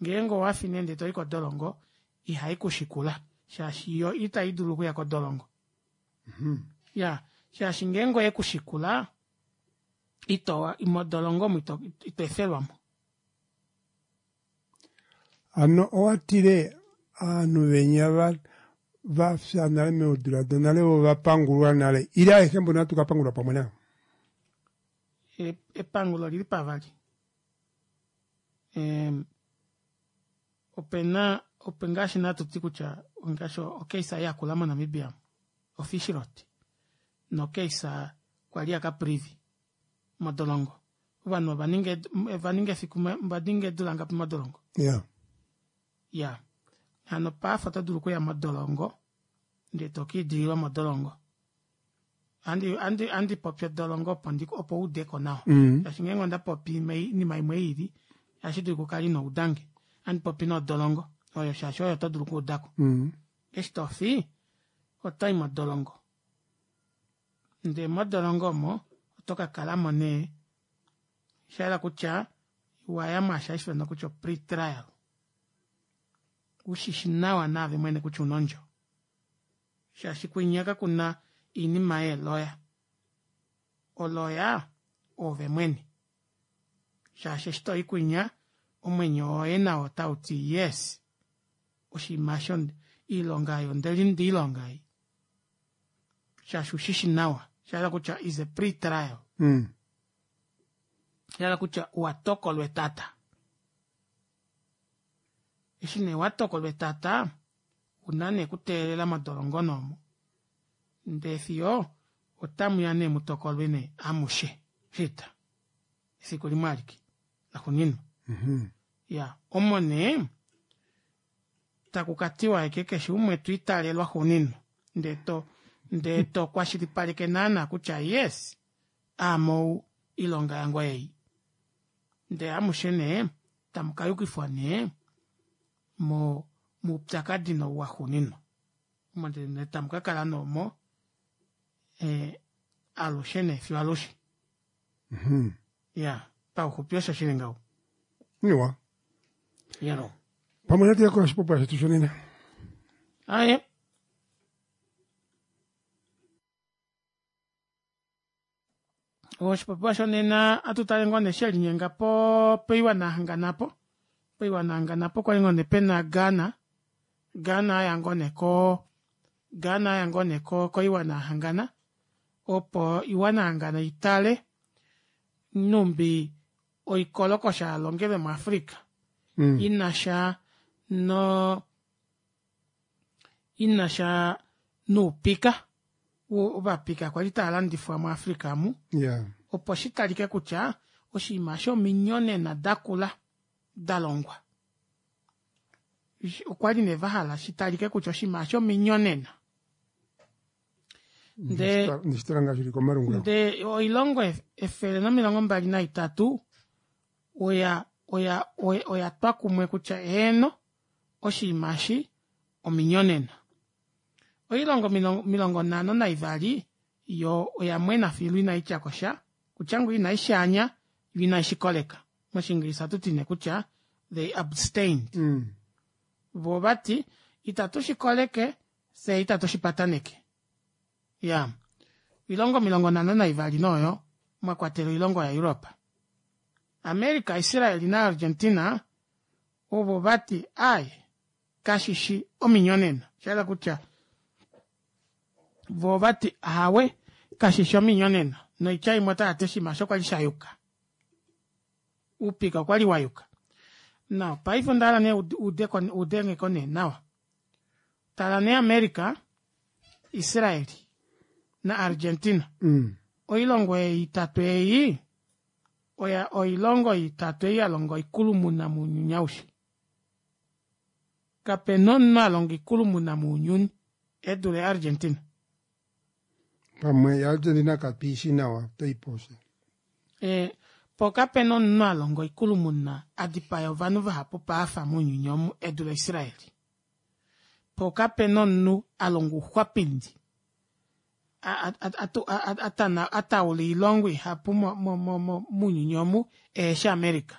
ngeenge owafi nee ndee toyi kodolongo ihai kushikula shaashi yo ita idulu okuya kodolongo iyaa shaashi ngeenge oyekushikula ito modolongo omo ito ito efelwamo. Hano owatile ovanhu venya va vafya nale meedula donale vo ovapangulwa nale ile aeshe mbono hatu kapangulwa pamwe navo? Epangulo olili pavali. Opena ope ngaashi natu ti kutya ngaashi ocase yakula moNamibia oFishrot nocase kwali yaCaprivi modolongo. Ovanhu ova ninga ova ninga efiku ova ninga eedula ngapi modolongo? Yeah. Ya. Hano paife oto dulu okuya modolongo ndee to ka idililwa modolongo. Andi andi andi popi odolongo opo ndi opo uudeko nawa. Shaashi ngeenge onda popi oinima imwe iili ohashi dulika ukale ino udange. Andi popi nee odolongo oyo shaashi oyo oto dulu okuudako. Eshi tofi otoyi modolongo. Ndee modolongo omo oto ka kalamo nee shayela kutya waya mwaashi hashi ifanwa kutya o pre-trial. Ushishi nawa naave mwene kutya una ondjo. Shaashi kwinya kakuna oinima yeeloya. Oloya oove mwene. Shaashi eshi toyi kwinya omwenyo woye nao otauti yes oshinima eshi oilonga ei ondeilonga ei. Shaashi ushishi nawa. Shahala kutya is a pre-trial. Shahala kutya owa tokolwa etata. Eshi nee watokolwa etata una nee okuteelela modolongo nee omo ndee fiyo otamuya nee mutokolwe nee amushe shita efiku limwe alike laxuuninwa. Iyaa omo nee taku katiwa ashike keshe umwe to italelwa xuuninwa ndee to ndee to kwashilipaleke naana kutya yes aame ou oilonga yange oyeyi. Ndee amushe nee tamu ka yukifwa nee mo moupyakadi nou waxuuninwa omo nee tamu ka kala nee omo alushe nee fiyo alushe. Iyaa pauxupi osho shili ngaho. Iwa. Yalo. Pamwe natu ye koshipopiwa shetu shonena. Aye. Oshipopiwa shonena atu tale ngoo nee shelinyenga po poiwana yahangana po poiwana yahangana po kwali ngoo nee pena Ghana Ghana aya ngoo nee ko Ghana aya ngoo nee ko koiwana yahangana. Opo iwana hangano itale numbi oikolokosha yalongelwe mu Africa inasha no inasha noupika ovapika kwali taalandifwa mu Africa amu opo shitalike kutya oshinima shominyonena dakula dalongwa okwali nee vahala shitalike kutya oshinima shominyonena ndee oilongo 123 oya oya oya twa kumwe kutya eeno oshinima eshi ominyonena oilongo 52 yo oya mwena filu inaityako sha kutya ngoo inaishaanya yo inaishikoleka moshiingilisa ohatu ti nee kutya they abstained mm. vo vati itatu shikoleke fye itatu shipataneke ya oilongo 52 noyo mwa kwatelwa oilongo yaEurope America Israel naArgentina ovo vati ai kashishi ominyonena shahala kutya vo vati ahawe kashishi ominyonena noitya imwe otavati oshinima osho kwali shayuka oupika okwali wayuka now paife ondahala nee udengeko nee nawa tala nee America Israel na Argentina mm. oilongo ei itatu ei oya oilongo itatu ei yalonga oikulumuna mounyuni aushe kapena omunhu alonga oikulumuna mounyuni edule Argentina pamwe yaArgentina kapiishi nawa toiposha e, po kapena omunhu alonga oikulumuna adipaya ovanhu vahapu paafa mounyuni omu edule Israel po kapena omunhu alonga ouxwapindi ataula oilongo ihapu mounyuni omu eheshi America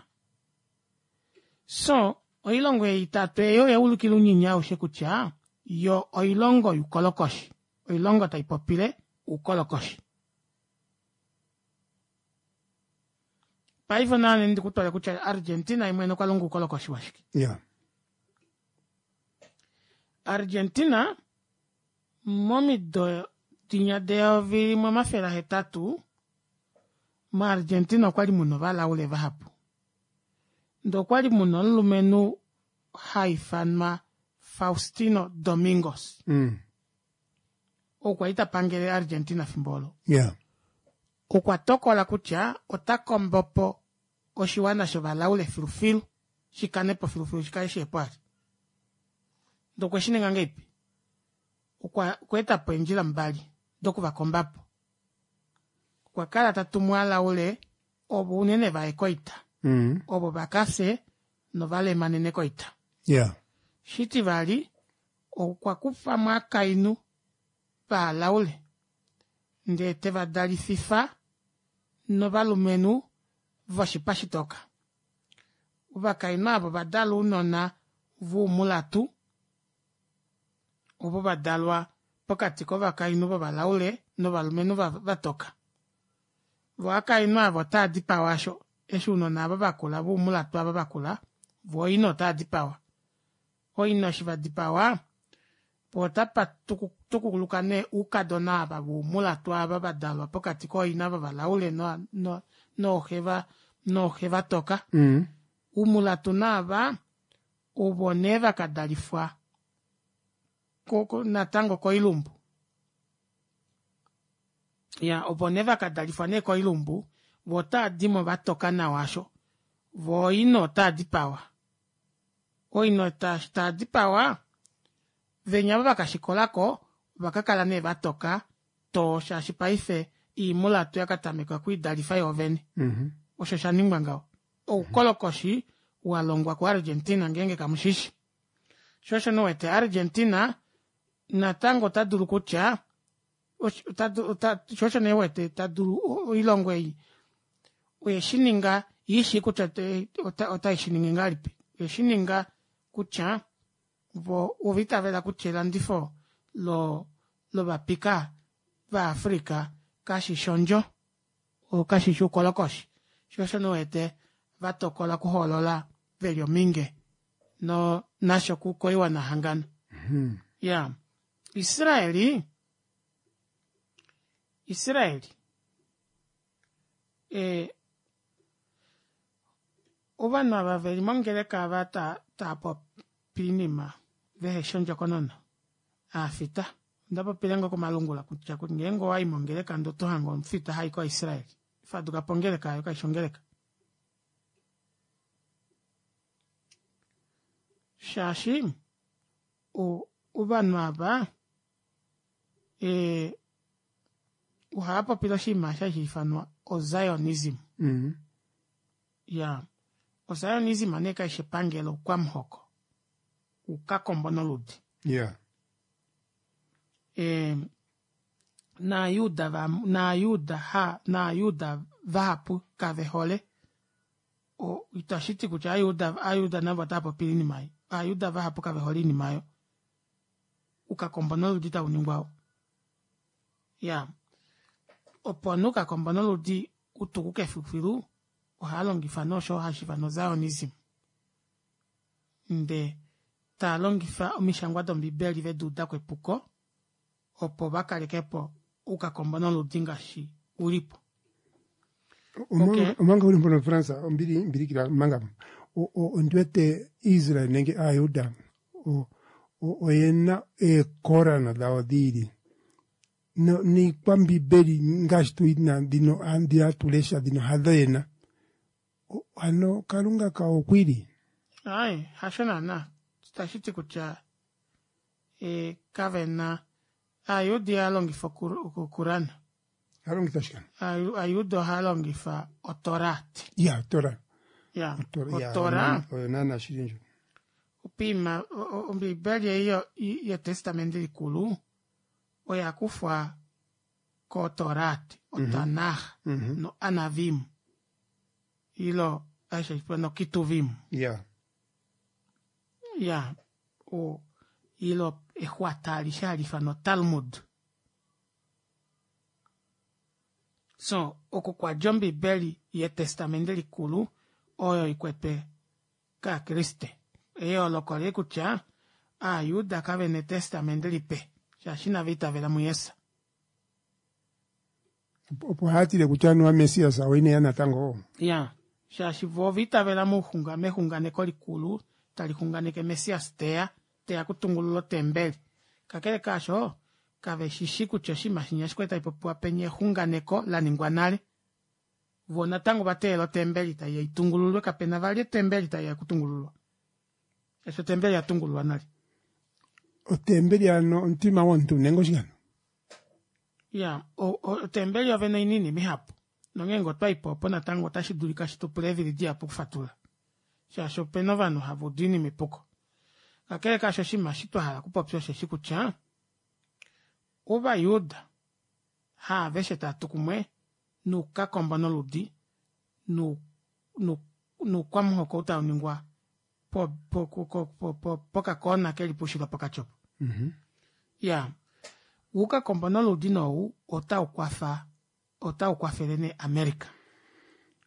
so oilongo ei itatu ei oya ulikila ounyuni aushe kutya yo oilongo youkolokoshi oilongo taipopile oukolokoshi paife naane ndikutwale kutya Argentina imwene okwa longa oukolokoshi washike yeah. Argentina momido dinya de 1800 moArgentina okwali muna ovalaule vahapu ndee okwali muna omulumenhu haifanwa Faustino Domingos mm. Okwa li tapangele Argentina fimbo olo yeah. Okwa tokola kutya ota kombopo oshiwana shovalaule filufilu shikanepo filufilu shikale shihepo ali ndee okwe shininga ngeipi okwa etapo eendjila mbali dokuvakombapo okwa kala tatumu alaule ovo unene vaye koita mm. ovo vakafye novalemanene koita yeah. Shitivali okwa kufamo akainhu vaalaule ndee tevadalififa novalumenhu voshipa shitoka ovakainhu avo ovadala ounona voumulatu ovo vadalwa pokati kovakainhu vovalaule novalumenhu vatoka vo akainhu avo otaa dipawa asho eshi ounona avo vakula voumulatu ava vakula vo oina otaa dipawa oina eshi vadipawa po otapa tukuluka nee oukadona ava voumulatu ava vadalwa pokati kooina vovalaule nooxe vatoka mm. Oumulatu naava ovo nee vakadalifwa natango koilumbu ya opo nee vakadalifwa nee koilumbu vo otaa dimo vatoka nawa asho vo oina otaa dipawa oina taa dipawa venya avo vakashikolako ovakakala nee vatoka too shaashi paife iimulatu yakatameka okwiidalifa yoovene mm -hmm. osho shaningwa ngaho oukolokoshi walongwa kuArgentina ngeenge kamushishi sho osho nowete Argentina natango ota dulu kutya sho osho nee wete ta dulu oilongo ei oye shininga ishi kutya otai shiningi ngahelipi oye shininga kutya vo ova itavela kutya elandifo lo lovapika vaAfrika kashishi ondjo kashishi oukolokoshi sho osho nowete vatokola okuhoolola veli ominge no nasho koiwana hangano mm -hmm. ya Israeli. Israel e, ovanhu ava veli mongeleka ava tava popi oinima veheshi ondjokonona aafita onda popile ngoo komalungula kutya ngeenge owayi mongeleka ndee oto hange omufita hai ko Israel fadukapo ongeleka aayo kaifi ongeleka shaashi ovanhu ava ohava popile oshinima osho hashi ifanwa ozionism mm. Ya ozionism nee kaishi epangelo oukwamuhoko oukakombo noludi yeah. E, naajuda va naajuda ha naajuda vahapu kave hole itashi ti kutya aajuda aajuda navo otava popile oinima ei aajuda vahapu kave hole oinima oyo ukakombo noludi tau ningwa oo ya opo nee ukakombo noludi utukuke filufilu ohaa longifa nee osho hashi ifanwa zionism nde taa longifa omishangwa dombibeli vedi udako epuko opo va kalekepo oukakombo noludi ngaashi ulipo. Omanga uli mpono France ombili mbilikila manga ondi wete Israel nenge Aajuda oyena eekorana dhawo dhiili niikwambibeli ngaashi tu yina dhino dhi hatu lesha dhino hadho yena ano Kalunga kawo okwiili. Aaye hasho naana itashi ti kutya e, kave na Aayuda ihaya longifa okurana. Haya longitha shike? Aayuda ohaya longitha otorat. Ya, otora. Ya, otora. Oyo naana shili ndjo. Opiima, Ombiibeli ei yEtestamenti Likulu oya kufwa koTorat, oTanakh, noAnavim, ilo aishe noKituvim. Ya. Ya, o, ilo exwata alishe hali ifanwa Talmud. So, oko kwa dja Ombibeli yEtestamenti Likulu oyo ikwetwe kAakriste. Eyooloko oleli kutya Aajuda kave na Etestamenti Lipe, shaashi inava itavela muJesus. Opo haya tile kutya anuwa Messias oye ine ya natango. Ya, shaashi vo ova itavela mouxunga, mexunganeko likulu tali xunganeke Messias te ya, te ya okutungulula otembeli. Kakele kaasho, kave shi shi kutya oshinima shinya eshi kwali tashi popiwa penya exunganeko la ningwa nale. Vo natango ova teelela otembeli tai ya itungululwe, kape na vali otembeli tai ya okutungululwa. Shaashi otembeli oya tungululwa nale. Otembeli hano omutima womuntu nenge oshike hano? Ya, otembeli yovene oina oinima ihapu. Nongeenge otwa i po opo natango otashi dulika shi tu pule eevili dihapu okufatulula. Shaashi opena ovanhu hava udu oinima epuko. Kakele kaasho oshinima eshi twa hala okupopya osheshi kutya, Ovajuda haaveshe tava tu kumwe noukakombo noludi noukwamuhoko ou tau ningwa pokakoona ke li poushilo pokati opo. Ya, oukakombo noludi nou otau kwafa otau kwafele nee America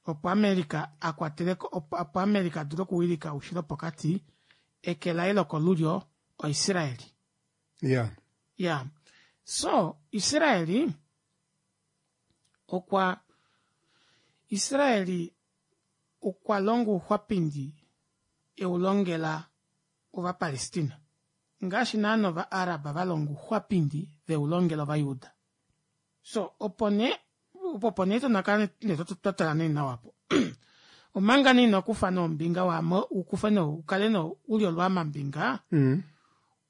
opo America a kwatele opo America a dule okuwilika oushilo pokati eke laye lokolulyo oIsraeli. Ya. Ya. So, Israeli okwa Israeli okwa longa ouxwapindi e u longela Ovapalestina, ngaashi naana Ovaarab va longa ouxwapindi ve u longela Ovajuda. So, opo nee, opo nee to kala nee twa tala nee nawa po. Omanga nee ino kufa nee ombinga waame u kufe nee u kale nee u li olwaamambinga,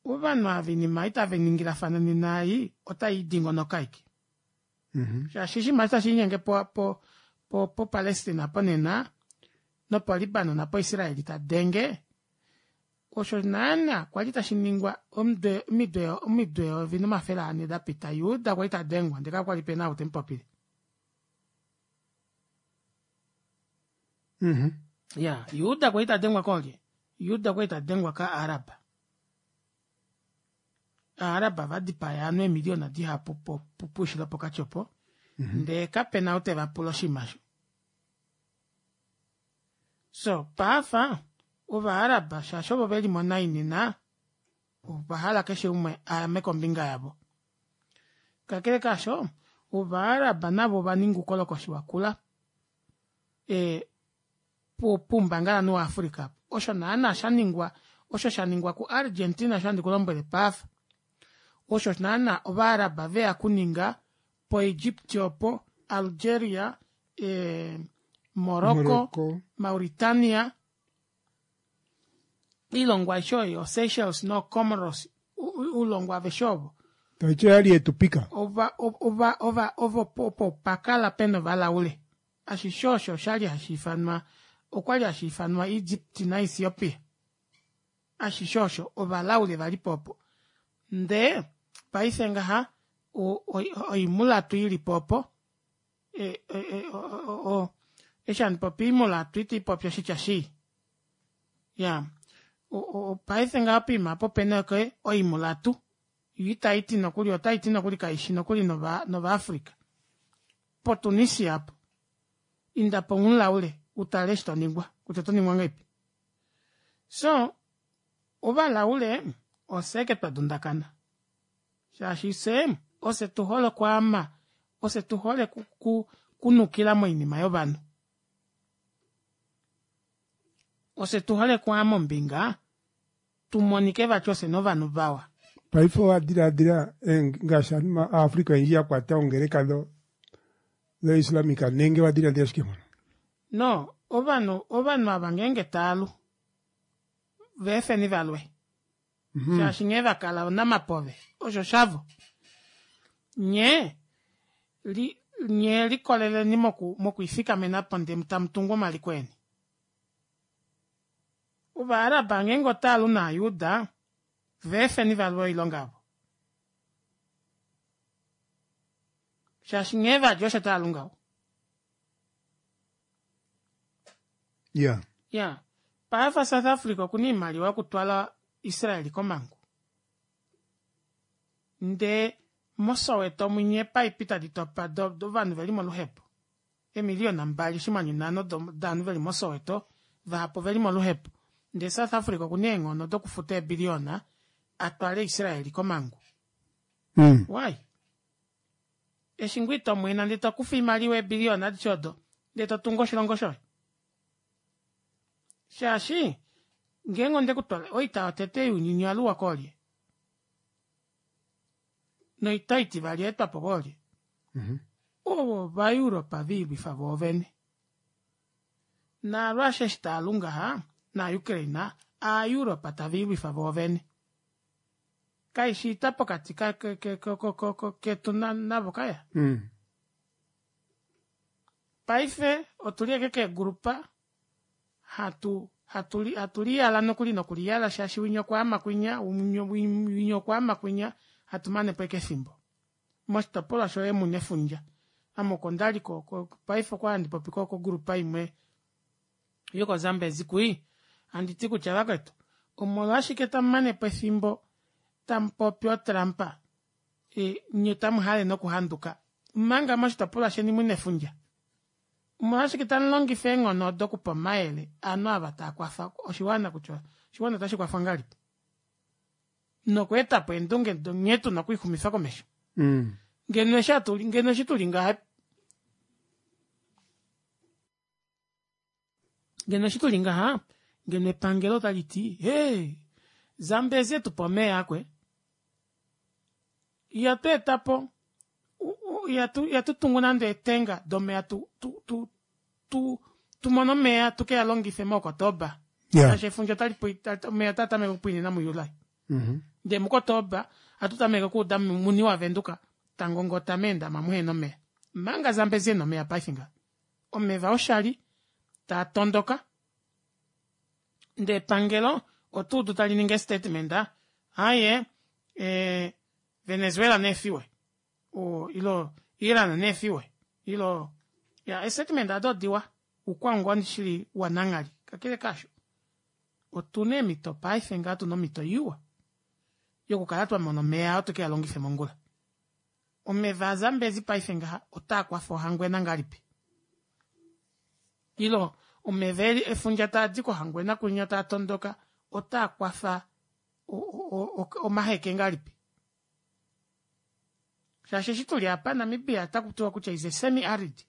ovanhu ava oinima ei tava ningilafana nena ei otai dingonoka ashike. Shaashi oshinima eshi tashi linyenge po po po poPalestina apo nena nopoLibanon apo Israel ta denge osho naana kwali tashi ningwa omido omido omido eyovi nomafele ane da pita Juda kwali ta dengwa ndele kakwali pena ou te mu popile. Ya Juda kwali ta dengwa koolye? Juda kwali ta dengwa kaArab. Aaraba va dipaya ovanhu eemiliyona dihapu poushilo pokati opo, ndee kape na ou te va pula oshinima osho. So, paafa, Ovaaraba shaashi ovo ve li mo nai nena, ova hala keshe umwe a ame kombinga yavo. Kakele kaasho, Ovaarab navo ova ninga oukolokoshi wakula e, poumbangalanhu waAfrica. Osho naana sha ningwa osho sha ningwa kuArgentina osho handi ku lombwele paafa. Osho naana Ovaarab veya kuninga poEgypt opo, Algeria, e, Morocco, Morocco. Mauritania, oilongo aishe oyo, Seychelles noComoros, oulongo aveshe ovo. Taiti oyali yetupika. Ova, ova, ova, ovo opo pakala pena ovalaule. Ashishe osho oshali hashi ifanwa, okwali hashi ifanwa Egypt naEthiopia. Ashishe osho ovalaule vali po opo. Ndee paife ngaha oimulatu ili po opo, e, e, e, o, eshi handi popi oimulatu iti popi oshitya shii. Ya, paife ngaha poima apo opena ke oimulatu. Yo itaiti nokuli, otaiti nokuli kaishi nokuli nOvaafrika. PoTunisia apo, inda po umulaule utale eshi to ningwa, kutya oto ningwa ngahelipi. So, ovalaule ofye ashike twa dundakana. Shaashi fye ofye tu hole okwaama, ofye tu hole kunukila moinima yovanhu. Ofye tu hole okwaama ombinga tu monike vati ofye novanhu vawa. Paife owa diladila ngaashi aantu Aafrika oyendji ya kwata ongeleka dho dhoIslamic nenge wa diladila shike mpono? No, ovanhu ovanhu ava ngeenge taalu veefeni valwe shaashi nghee va kala onamapove osho shavo. Nye li nye likoleleni moku mokwiifikamena po ndee tamu tungu omaliko eni. Ovaaraba ngeenge otaalu nAayuda, va efeni va lwe oilonga yavo. Shaashi nghee va li osho tava lu ngaho. Ya. Ya. Paife South Africa oku na oimaliwa yokutwala Israel komhangu. Ndee moSoweto mwinya eepaipi tadi topa dovanhu ve li moluhepo. Eemiliyona 2.5 dovanhu ve li moSoweto, vahapu ove li moluhepo. Ndee South Africa oku na eenghono dokufuta eebiliyona a twale Israel komhangu. Why? Eshi ngoo ito mwena ndee to kufa oimaliwa eebiliyona adishe odo ndee to tungu oshilongo shoye. Shaashi ngeenge onde ku twala oita yotete younyuni oya luwa koolye? Noita itivali oya etwa po koolye? Ovo Ovaeuropa ve ilwifa voovene. NaaRussia eshi taa lu ngaha, naaUkraine, Aaeuropa tave ilwifa voovene. Kaishi oita pokati ketu navo kaya. Paife otu li ashike keegulupa hatu hatu hatu liyala nokuli nokuliyala shaashi winya okwaama kwinya, winya okwaama kwinya, hatu mane po ashike efimbo. Moshitopolwa shoye mu na efundja. Ame oko nda li ko, ko, paife okwa handi popi ko kogrupa imwe yokoZambezi kwii, handi ti kutya vakwetu, omolwashike tamu mane po efimbo tamu popi oTrump, e, nye tamu hale nokuhanduka, omanga moshitopolwa sheni mu na efundja? Omolwashike tamu longifa eenghono odo okupa omayele ovanhu ava taa kwafa oshiwana kutya oshiwana otashi kwafwa ngahelipi nokweeta po eendunge nghee tu na okwiixumifa komesho? Ngeno eshi hatu ngeno eshi tuli ngaha ngeno eshi tuli ngaha ngeno epangelo otali ti hee Zambezi etu pa omeya akwe ihatu eta po ihatu ihatu tungu nande eetenga domeya tu tu tu tu tu mone omeya tu ke a longife moOkotoba Yeah. shaashi efundja otali pwi- omeya otaa tameke okupwiinina muJuli ndee muKotoba ohatu tameke okuuda muni waVenduka ta ngongota meendama muhena omeya manga Zambezi ena omeya paife ngaha omeva oshali taa tondoka ndee epangelo oto udu tali ningi estatement aaye eh, Venezuela neefiwe o, ilo Iran neefiwe ilo ya estatement ado odiwa ukwaungoni shili wananghali kakele kaasho otuna eemhito paife ngaa tuna omhito iwa yokukala twa mona omeya oo tuke a longife mongula. Omeva aZambezi paife ngaha otaa kwafa Ohangwena ngahelipi? Ilo omeva eli efundja taa di kOhangwena kwinya taa tondoka otaa kwafa Omaheke ngahelipi? Shaashi eshi tuli apa Namibia otaku tiwa kutya is a semi arid.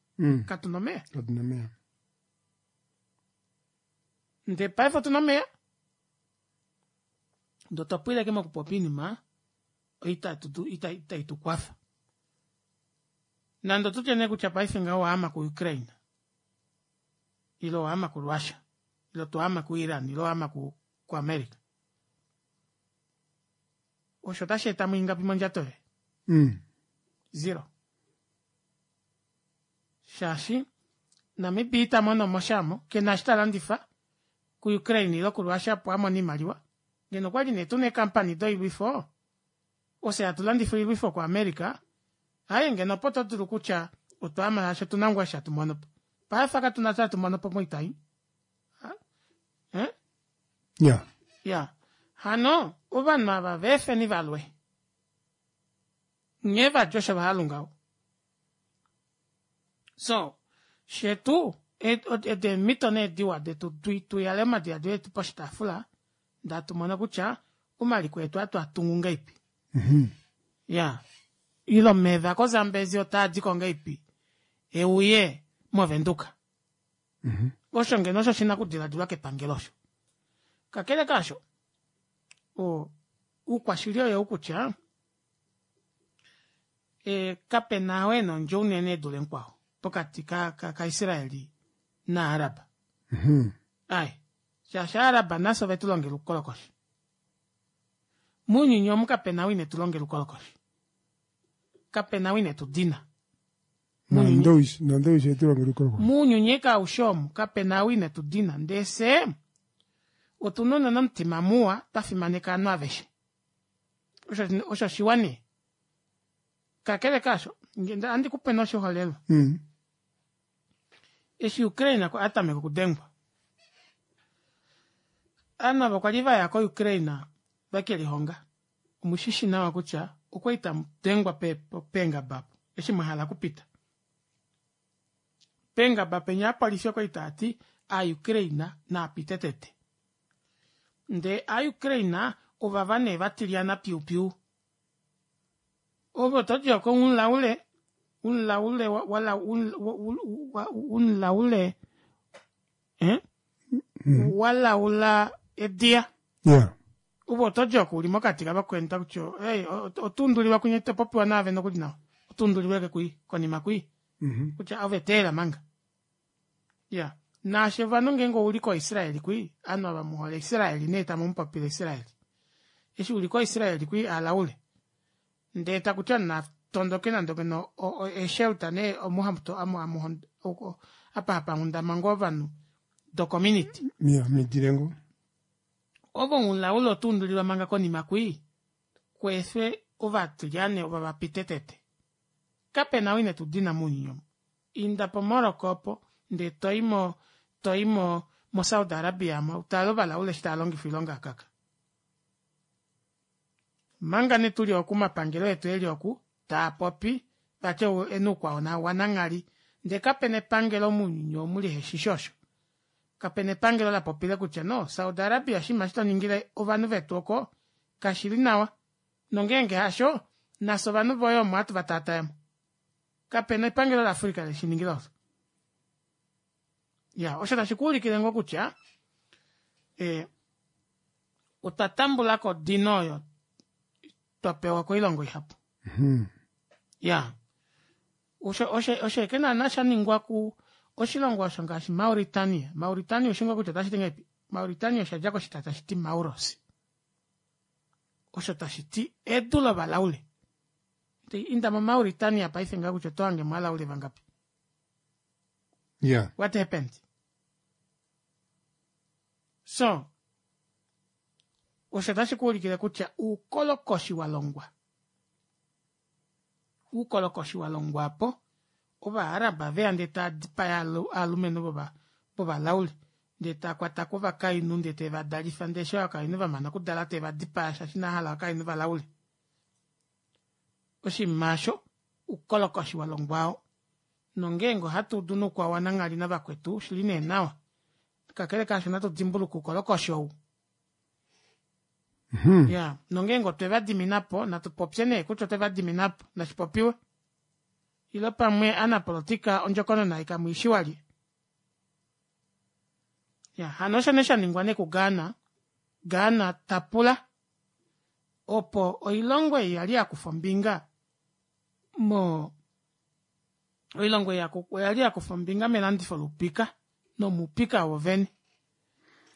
Katuna omeya. Katuna omeya. Ndee paife otuna omeya. Ndee otwa pwila ashike mokupopya oinima itai tu kwafa. Nande otutye nee kutya paife ngaho owaama ku Ukraine ile owaama ku Russia ile otwaama ku Iran ile owaama ku America. Osho otashi eta mo ingapi mondjato yoye? Zero. Shaashi Namibia ita mono mo sha mo, ke na eshi ta landifa kuUkraine ile kuRussia opo a mone oimaliwa. Ngeno okwali nee tuna eekampani doilwifo, ofye hatu landifa oilwifo kuAmerica, aaye ngeno opo to dulu kutya otwa ama shaashi otuna ngoo eshi hatu mono po. Paife katuna eshi hatu mono po moita ei. Eh? Ya. Ya. Hano ovanhu ava va efeni va lwe. Nghee va dja osho va halu ngaho. So, shetu edi eemhito nee diwa detu tu yale omadiladilo etu poshitaafula ndee hatu mono kutya omaliko etu ohatu a tungu ngahelipi. Ya. Ile omeva koZambezi otaa diko ngahelipi e uye mOvenduka. Osho ngeno osho shi na okudiladilwa kepangelo osho. Kakele kaasho, oukwashili oyou kutya e, kape na oo e na ondjo unene e dule mukwao pokati kaIsraeli naArab. Ai, shaashi Aarab nafye ove tu longela oukolokoshi. Mounyuni omu kape na ou ine tu longela oukolokoshi. Kape na ou ine tu dina. Nandowishi etu longela oukolokoshi. Mounyuni eke aushe omu kape na ou ine tu dina. Ndee fye otu na unene omutima muwa twa fimaneka ovanhu aveshe. Osho osho shiwa nee. Kakele kaasho, ohandi ku pe nee oshiholelwa. Eshi Ukraine a tameka okudengwa, ovanhu ava okwa li va ya koUkraine ve ke lihonga. Omu shi shi nawa kutya okwa li tamu dengwa peengaba opo eshi mwa hala okupita. Peengaba penya opolifi okwa li taa ti Aukraine naa pite tete. Ndee Aukraine ovava nee va tilyana piupiu. Ove oto di oko umulaule, umulaule wala umulaule eh? Walaula ediya. Yeah. Ove oto di oko uli mokati kavakweni takuti hey, otuundulilwa kwinya ito popiwa naave nokuli nawa. Otuundulilwa ke kwi konima kwi. Kutya ove teela manga. Ya. Naashi ovanhu ngeenge ouli koIsrael kwi, ovanhu ava mu hole Israel nee tamu mu popile Israel. Eshi uli koIsrael kwi alaule. Ndee taku ti na tondoke nande ngeno eeshelter nee omu hamu to amu amu apa hapa hundama ngoo ovanhu do community. Ya, midilengo. Ove omulaule oto undulilwa manga konima kwi, kweefwe ovatilyane ova va pite tete. Kape na ou ine tu dina mounyuni omu. Inda po Morocco opo, ndee toi mo, toi mo, mo Saudi Arabia mo, utale ovalaule eshi tava longifa oilonga yakaka. Manga nee tuli oku omapangelo etu eli oku, taa popi, vati ou ena oukwao wananghali, ndee kapena epangelo mounyuni omu liheshishi osho. Kapena epangelo la popile kutya no, Saudi Arabia oshinima eshi to ningile ovanhu vetu oko, kashili nawa. Nongeenge hasho, nafye ovanhu voye omo hatu va taataya mo. Kape na epangelo laAfrica le shi ningila osho. Ya, osho tashi ku ulikile ngoo kutya e, otwa tambula ko odino oyo twa pewa koilongo ihapu. Ya. Osho osho osho eke naana sha ningwa ku oshilongo osho ngaashi Mauritania. Mauritania oshingo kutya otashi ti ngahelipi? Mauritania osha dja koshitya tashi ti Mauros. Osho tashi ti edu lovalaule. Inda moMauritania paife ngaha kutya oto hange mo alaule vangapi. Yeah. What happened? So, osho tashi ku ulikile kutya uukolokoshi wa longwa. Uukolokoshi wa longwa po. Ovaaraba veya ndee taa dipaya aalumenhu vovalaule ndee taa kwata ko ovakainhu ndee teve va dalifa ndee eshi ovakainhu va mana okudala teve va dipaya shaashi inava hala ovakainhu valaule. Oshinima osho oukolokoshi wa longwa oo. Nongeenge ohatu udu noukwao wananghali navakwetu, oshi li nee nawa. Kakele kaasho natu dimbuluke oukolokoshi ou. Ya, nongeenge otwe va dimina po, natu popye nee kutya otwe va dimina po, nashi popiwe. Ile pamwe anapolotika ondjokonona ei kamu i shi walye. Ya, hano osho nee sha ningwa nee kuGhana. Ghana ta pula opo oilongo ei yali ya kufa ombinga mo oilongo ei oya li ya kufa ombinga melandifo loupika nomoupika wovene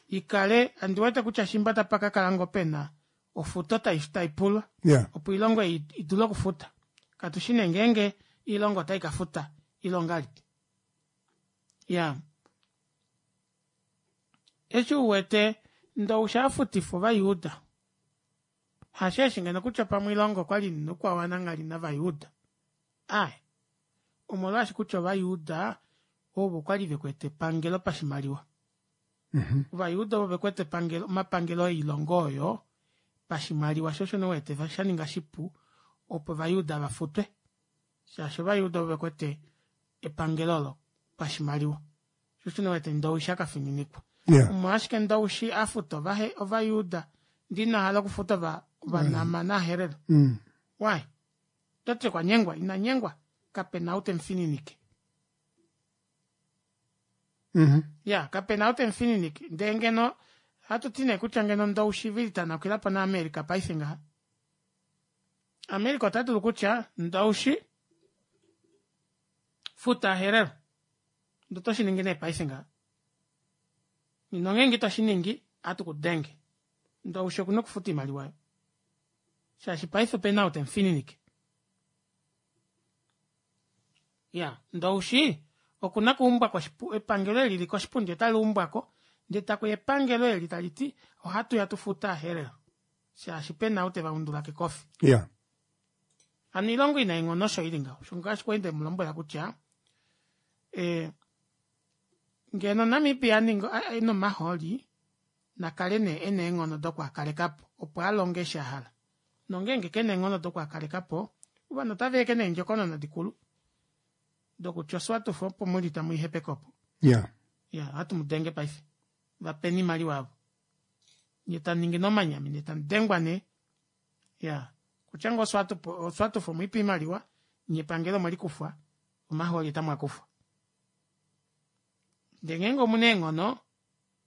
ikale andi wete kutya shimba tapa ka kala ngoo pena ofuto tai tai pulwa Yeah. opo oilongo ei i dule okufuta katu shi nee ngeenge oilongo otai ka futa ile ongahelipi ya eshi u wete Ndowishi a futifa Ovajuda hasheeshi ngeno kutya pamwe oilongo okwali ina oukwawananghali navajuda Aaye. Omolwaashi kutya Ovajuda ovo kwa li ve kwete epangelo pashimaliwa. Ovajuda ovo ve kwete epangelo, omapangelo oilongo oyo pashimaliwa, sho osho nee wete sha ninga shipu opo Ovajuda va futwe, shaashi Ovajuda ovo ve kwete epangelo olo pashimaliwa. Sho osho nee wete Ndowishi a ka fininikwa. Yeah. Omolwashike Ndowishi a futa Ovahe, Ovajuda ndee ina hala okufuta ova, Ovanama naHerero? Why? Toti okwa nyengwa, ina nyengwa, kape na ou te mu fininike. Ya, kape na ou te mu fininike. Ndee ngeno, hatu ti nee kutya ngeno Ndoushivili ta nakila po naAmerica paife ngaha. America ota dulu kutya, Ndoushi, futa Herero. Ndee oto shi ningi nee paife ngaha. Nongeenge ito shi ningi, ohatu ku denge. Ndoushi oku na okufuta oimaliwa oyo. shaashi paife opena ou temufininike ya ndoushi okuna kuumbwa koshipu epangelo eli lili koshipundi otali umbwako ndee takuya epangelo eli tali ti ohatu ya tufute aherero shaashi pena ou teva undula kekofi yeah. Hano oilongo inaenghono osho ili ngaho osho ngaashi kwali ndemu lombwela kutya e, ngeno Namibia aninga ena omahooli na kale nee e na eenghono doku a kaleka po, opo a longe eshi a hala. Nongeenge ke na eenghono doku a kaleka po, ovanhu otava eke neendjokonona dikulu dokutya oSwatuf opo mu li tamu i hepeke opo. Yeah. Ya, ohatu mu denge paife. Va peni oimaliwa yavo. Nye tamu ningi nee omanyami, ndee tamu dengwa nee. Ya, kutya ngoo Oswatuf, oSwatuf omwe i pa oimaliwa, nye epangelo omwe li kufwa, omahooli otamu a kufwa. Ndee ngeenge omu na eenghono,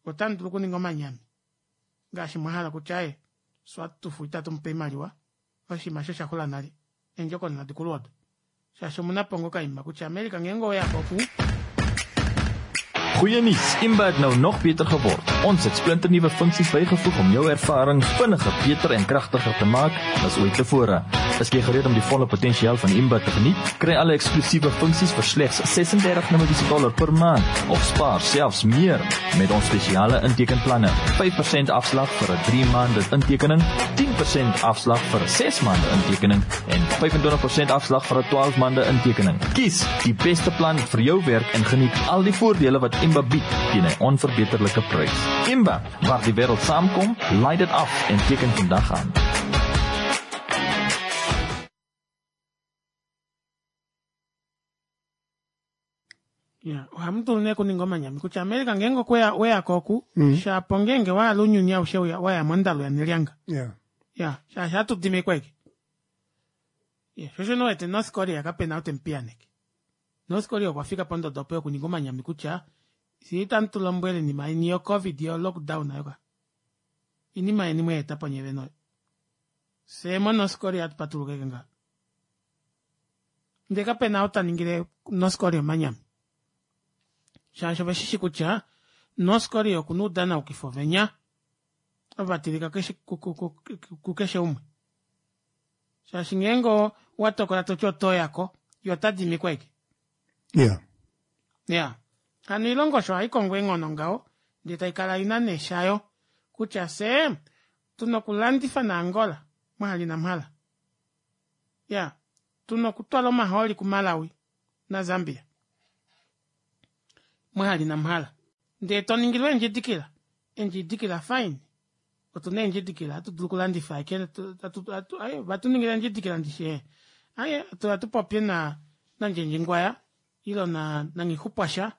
Otamu dulu okuninga omanyami ngaashi mwa hala kutya aye Swatufu itatu mu pe oimaliwa, oshinima osho osha xula nale, eendjokonona dikulu odo. Shaashi omu na po ngoo okaima kutya America ngeenge owe ya ko oku. Goeie nuus, Imba het nou nog beter geword. Ons het splinternuwe funksies bygevoeg om jou ervaring vinniger, beter en kragtiger te maak as ooit tevore. Is jy gereed om die volle potensiaal van Imba te geniet? Kry alle eksklusiewe funksies vir slegs 36 Namibiese dollar per maand of spaar selfs meer met ons spesiale intekenplanne. 5% afslag vir 'n 3 maande intekening, 10% afslag vir 'n 6 maande intekening en 25% afslag vir 'n 12 maande intekening. Kies die beste plan vir jou werk en geniet al die voordele wat Imba bied teen 'n onverbeterlike prys. Imba, waar die wêreld saamkom, laai dit af en teken vandag aan. Ya, ohamu dulu nee okuninga omanyami kutya America ngeenge okwe ya weya ko oku mm. shapo ngeenge wa hala ounyuni aushe wa ya mondalo yanelyanga yeah. ya shaashi hatu dimikwa eke yeah. sho osho wete North Korea kapena ou temupiyaneke North Korea okwa fika pondodo opo yokuninga omanyami kutya fye itamu tu lombwele inima yeni yo covid yo lockdown ayo ka inima yeni mweeta po nye vene oyo fye moNorth Korea hatu patuluka eke ngaha Ndee kape na ou ta ningile North Korea omanyami. Shaashi ove shi shi kutya North Korea oku na oudanaukifo venya ovo va tilika kukeshe umwe. Shaashi ngeenge owa tokola to ti oto ya ko, ye ota dimi ko ashike. Yeah. Yeah. Hano oilongo osho ohai kongo eenghono ngaho, ndee tai kala i na nee shayo kutya fye tu na okulandifa naAngola mwahali namhala. Ya, tuna okutwala omahooli kuMalawi naZambia. Mwahali namhala. Ndee to ningilwa eendjidikila. Eendjidikila fine. Otu na eendjidikila, ohatu dulu okulandifa ashike aye, vatu ningila eendjidikila ndishi ee. Aye, ohatu popye na naNdjendjingwaya ile na naNghixupwasha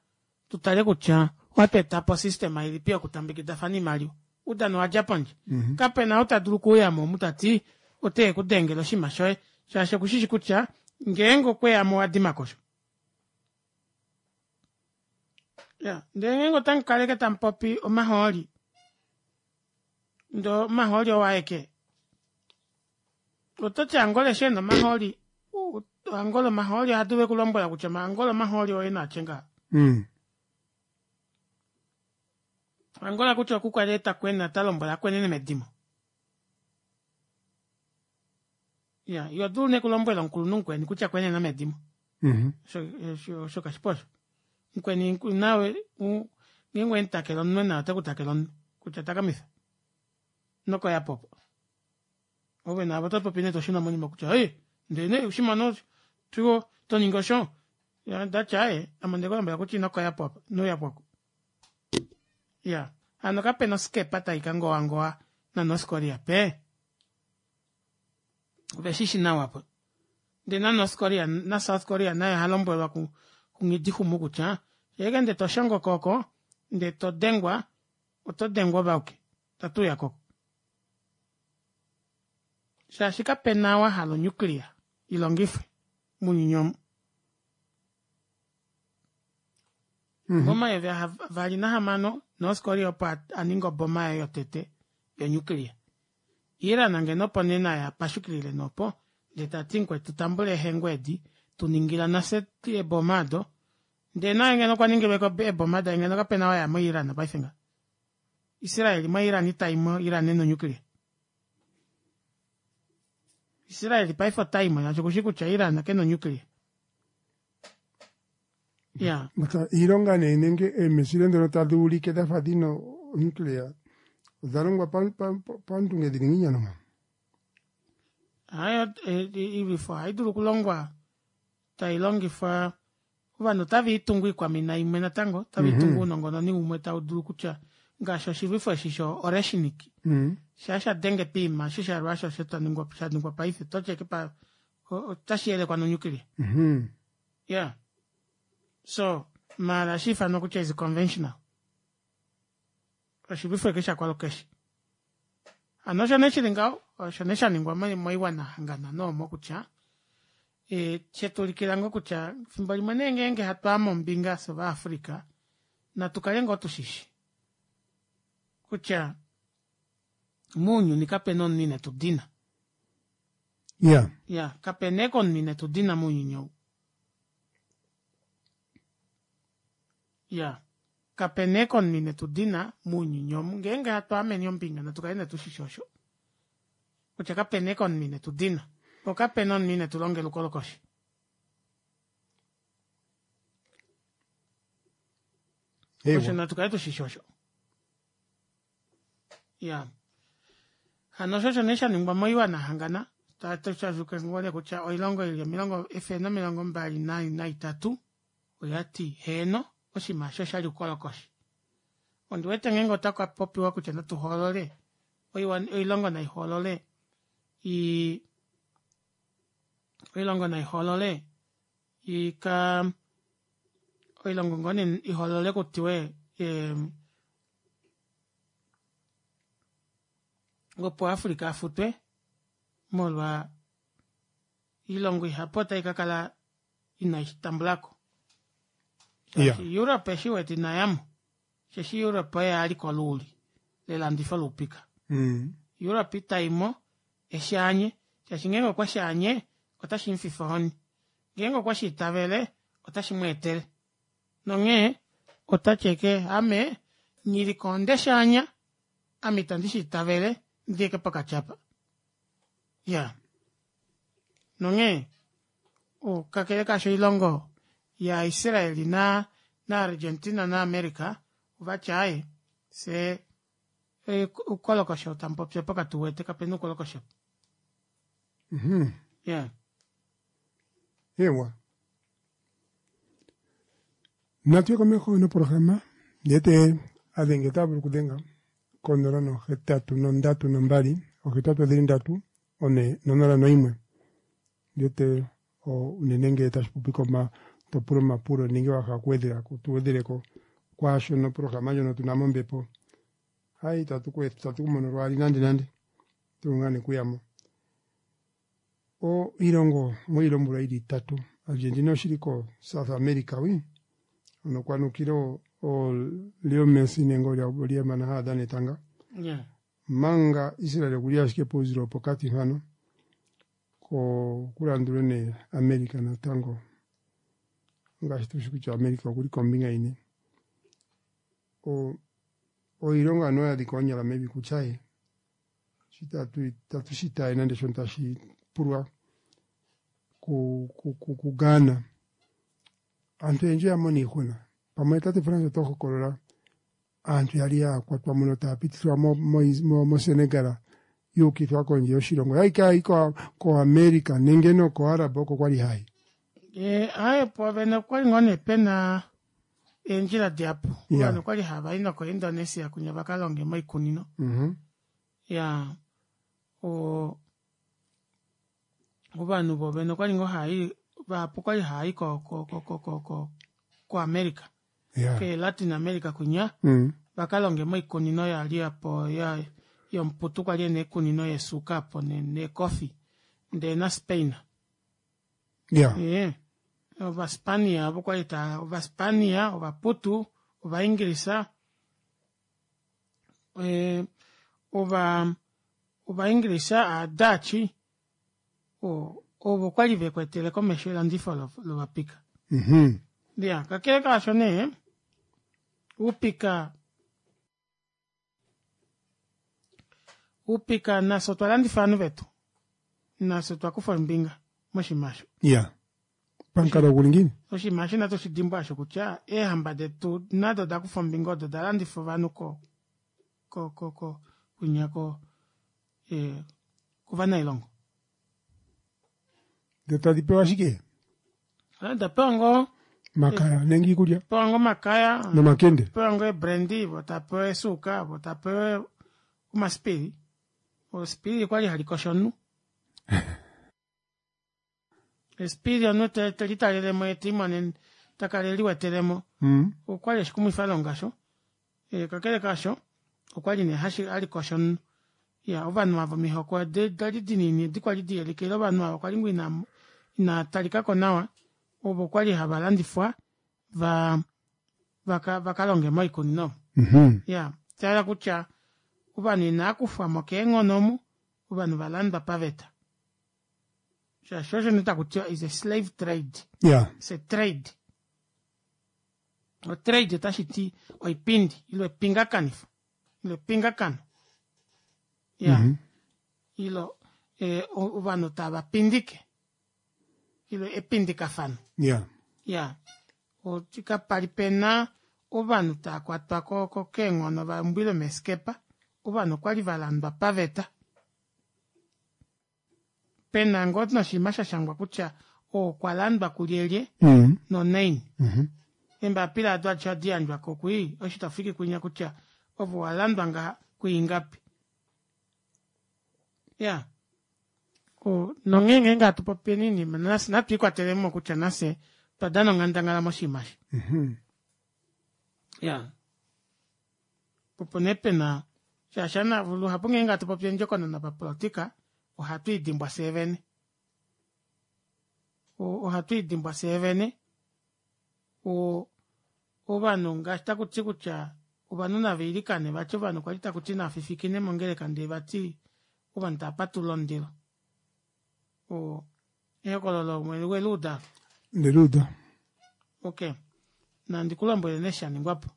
tu tale kutya ohatu eta po osystema ilipi yokutambekidafana oimaliwa. Oudano owa dja pondje. Kapena ou ta dulu okuuyamo omu tati ote ku dengele oshinima shoye shaashi okushishi kutya ngeenge okweyamo owa dimako osho. Ya, ndee ngeenge otamu kaleke tamu popi omahooli ndee omahooli oo aeke ototi Angola eshi ena omahooli Angola omahooli oha dulu ekulombwela kutya Angola omahooli oye naatye ngaha. Angola kutya oku kwali ta kwena ta lombwela akwenene medimo. Ya, yo dulu ne kulombwela omukulunhu mukweni kutya kwenena medimo. Osho osho kashipu osho. Mukweni nawe ngeenge wemutakele omunwe naye ote ku takele omunwe kutya takamifa. Nokoya popo. Ove naave oto popi nee toshuna monima kutya ei ndee nee ushimona osho to ningi osho ndati aaye ame onde kulombwela kutya ino koya po apa ino uya po oku. Ya hano kapena oskepa tai ka ngowangowa naNorth Korea pe ove shi shi nawa po ndee naNorth Korea naSouth Korea naye oha lombwelwa kuNghidihumu kutya sheke nde to shongoka oko ndee to dengwa oto dengwa ove auke tatu uya koko shaashi kapena wa hala onuclear ilongifwe mounyuni omu. Momayovi ahavali nahamano, North Korea opo a ninga oboma yaye yotete yonuclear. Iran ngeno opo nee naye a pashukilile nee opo, ndee ta ti mukwetu tambula eehengu edi, tu ningila nafye eeboma odo. Ndee naye ngeno okwa ningilwe ko eeboma daye ngeno kapena waya moIran paife ngaha. Israel moIran ita i mo, Iran ena onuclear. Israel paife ota i mo shaashi okushi kutya Iran kena onuclear. Ya. But iilonga nee nenge eemesile ndhono tadhi ulike dha fa dhina onuclear odha longwa pandunge dhili ngiini ano? Hayo iilwifo ohayi dulu okulongwa tai longifwa ovanhu otave itungu iikwamina imwe natango otave itungu ounongononi umwe tau dulu kutya ngaashi oshilwifo eshi sho oreshnik shaa sha denge piima eshi sha Russia osho sha ningwa paife oto ti pa otashi yelekwa nonuclear. Yeah. So, maala ohashi ifanwa kutya is conventional. Oshilwifo eke shakwalukeshe. Hano osho nee shili ngaho, osho nee sha ningwa moiwana hangana noomo kutya e, shetuulikila ngoo kutya fimbo limwe nee ngeenge hatu ame ombinga fye Ovaafrika, natu kale ngoo tushishi kutya mounyuni kapena omunhu ine tu dina. Ya. Ya, kapena eke omunhu ine tu dina mounyuni ou. Ya, kapena eke omunhu ine tu dina mounyuni omu. Ngeenge hatu ameni ombinga natu kale nee tu shishi osho. Kutya kapena eke omunhu ine tu dina. Po kapena omunhu ine tu longela oukolokoshi. Osho natu kale tu shishi osho. Ya. Hano osho osho nee sha ningwa moiwana hangana. Tatushazuka ngoo nee kutya oilongo ili omilongo efele nomilongo mbali naitatu oya ti heeno oshinima osho oshali oukolokoshi. Ondi wete ngeenge otaku popiwa kutya natu hoolole oilongo nai hoolole i oilongo nai hoolole i ka oilongo ngoo nee i hoolole kutiwe opo Africa a futwe molwa iilongo ihapu otai ka kala inai shi tambula ko. Shaashi Europe eshi wete ina yamo, osheshi Europe oye a li koluuli lelandifo loupika. Europe itai mo eshi anye, shaashi ngeenge okwe shi anye otashi mu fifa ohoni. Ngeenge okwe shi itavele otashi mu etele. Nonghee ota ti eke ame nghi onde shi anya, ame itandi shi itavele, ndi eke pokati apa. Ya. Nonghee, kakele kaasho oilongo yaIsrael na naArgentina naAmerica ova tya aaye, fye oukolokosho tamu popi opo katu wete, kape na oukolokosho. Ya. Ewa. Natu ye komeho noprograma ndee te adhenge ota vulu okudhenga konola nohetatu nondatu nombali ohetatu odhili ndatu one nonola noimwe ndee te unene ngele tashi popi koma to pula omapulo nenge wa hala okuwedhela ko tu wedheleko kwaashono oprograma ndjono tuna mombepo. Hai itatu kumono lwaali nande nande tulunga nekuyamo. O ilongo moilombwelwa ili itatu Argentina oshili ko South America wi ono kwanukile o Leo Messi nenge olyemana haadhana etanga Yeah. manga Israel okuli ashike pouzilo wopokati mpano ko kulandulwe ne America natango ngaashi tushi kutya America okuli kombinga ine o oilongo ano ya dhika onyala mevi kutya ye shi tatu shitaye nande shono tashi pulwa ku Ghana aantu oyendji oya mona iihuna pamwe tate France oto hokolola aantu yali ya kwatwa muno taya pitithwa moSenegal yuukithwa kondje yoshilongo yayi kayi koAmerica nenge nokoArab oko kwali hayi Aye poovene okwali ngoo nee pena eendjila dihapu Yeah. ovanhu okwali hava i nokoIndonesia kunya vakalonge moikunino ya ovanhu voovene okwali ngoo hai vahapu okwali hai ko ko ko ko ko ko koAmerica Yeah. ke Latin America kunya vakalonge moikunino yali apo ya yomuputu kwali ena iikunino yesuuka apo neekofi ndee naSpain Yeah. Ee, Ovaspania ovo kwali ta Ovaspania, Ovaputu, Ovaingilisa, ova Ovaingilisa, Aadachi ovo kwali vekwetele komesho elandifo lovapika. Ya, kakele kaasho nee, oupika oupika nafye otwa landifa ovanhu vetu. Nafye otwa kufa ombinga moshinima osho. Yeah. Pamukalo guli ngiini? Oshinima eshi inatu shi dimbwa osho kutya eehamba detu nado oda kufa ombinga odo da landifa ovanhu ko ko ko ko kwinya ko kovanailongo. Ndee tadi pewa shike? Da pewa ngoo Makaya nenge iikulya pewa ngoo omakaya nomakende. Pewa ngoo eebrandy vo tapewa eesuuka vo tapewa omasipili. Esipili okwali hali kosho omunhu. Esipili omunhu telitalelemo yee telimonene takala eliwetelemo okwali oshikumwifalonga osho. Kakele kaasho okwali nee halikosho omunhu. Iyaa ovanhu ava omihoko dali dinini edi kwali diholike ile ovanhu ava kwali ngoo inaa talikako nawa ovo okwali hava landifwa va vakalonge moikunino Iyaa shayela kutya ovanhu inavakufwamo keenghono omu ovanhu valandwa paveta shaashi osho nee takutiwa is a slave trade Yeah. It's a trade. Otrade otashiti oipindi ile epingakanifo ile epingakano ya ilo ovanhu tava pindike ile epindikafano Yeah. ya kapali pena ovanhu taakwatwa ko keenghono vaumbwile meeskepa ovanhu okwali valandwa paveta pena ngoo noshinima shashangwa kutya oo okwa landwa kulyelye nonaini eembapila ado adishe ohadi yandjwako kwii osho tafiki kwinya kutya ove owalandwa ngaha kwiingapi ya nonghee ngeenge hatu popi oinima natu likwatelemo kutya nafye otwa dana onghandangala moshinima eshi ya opo nee pena shaashi luhapu ngeenge hatu popi ondjokonona papolitika ohatu idimbwa fyee vene ohatu idimbwa fyee vene ovanhu ngaashi takuti kutya ovanhu navailikane vati ovanhu kwali takuti naafifikine mongeleka ndee vati ovanhu tavapatulula omundilo ehokololo weluuda Ndeluuda. Ok nandi kulombwele nee shaningwapo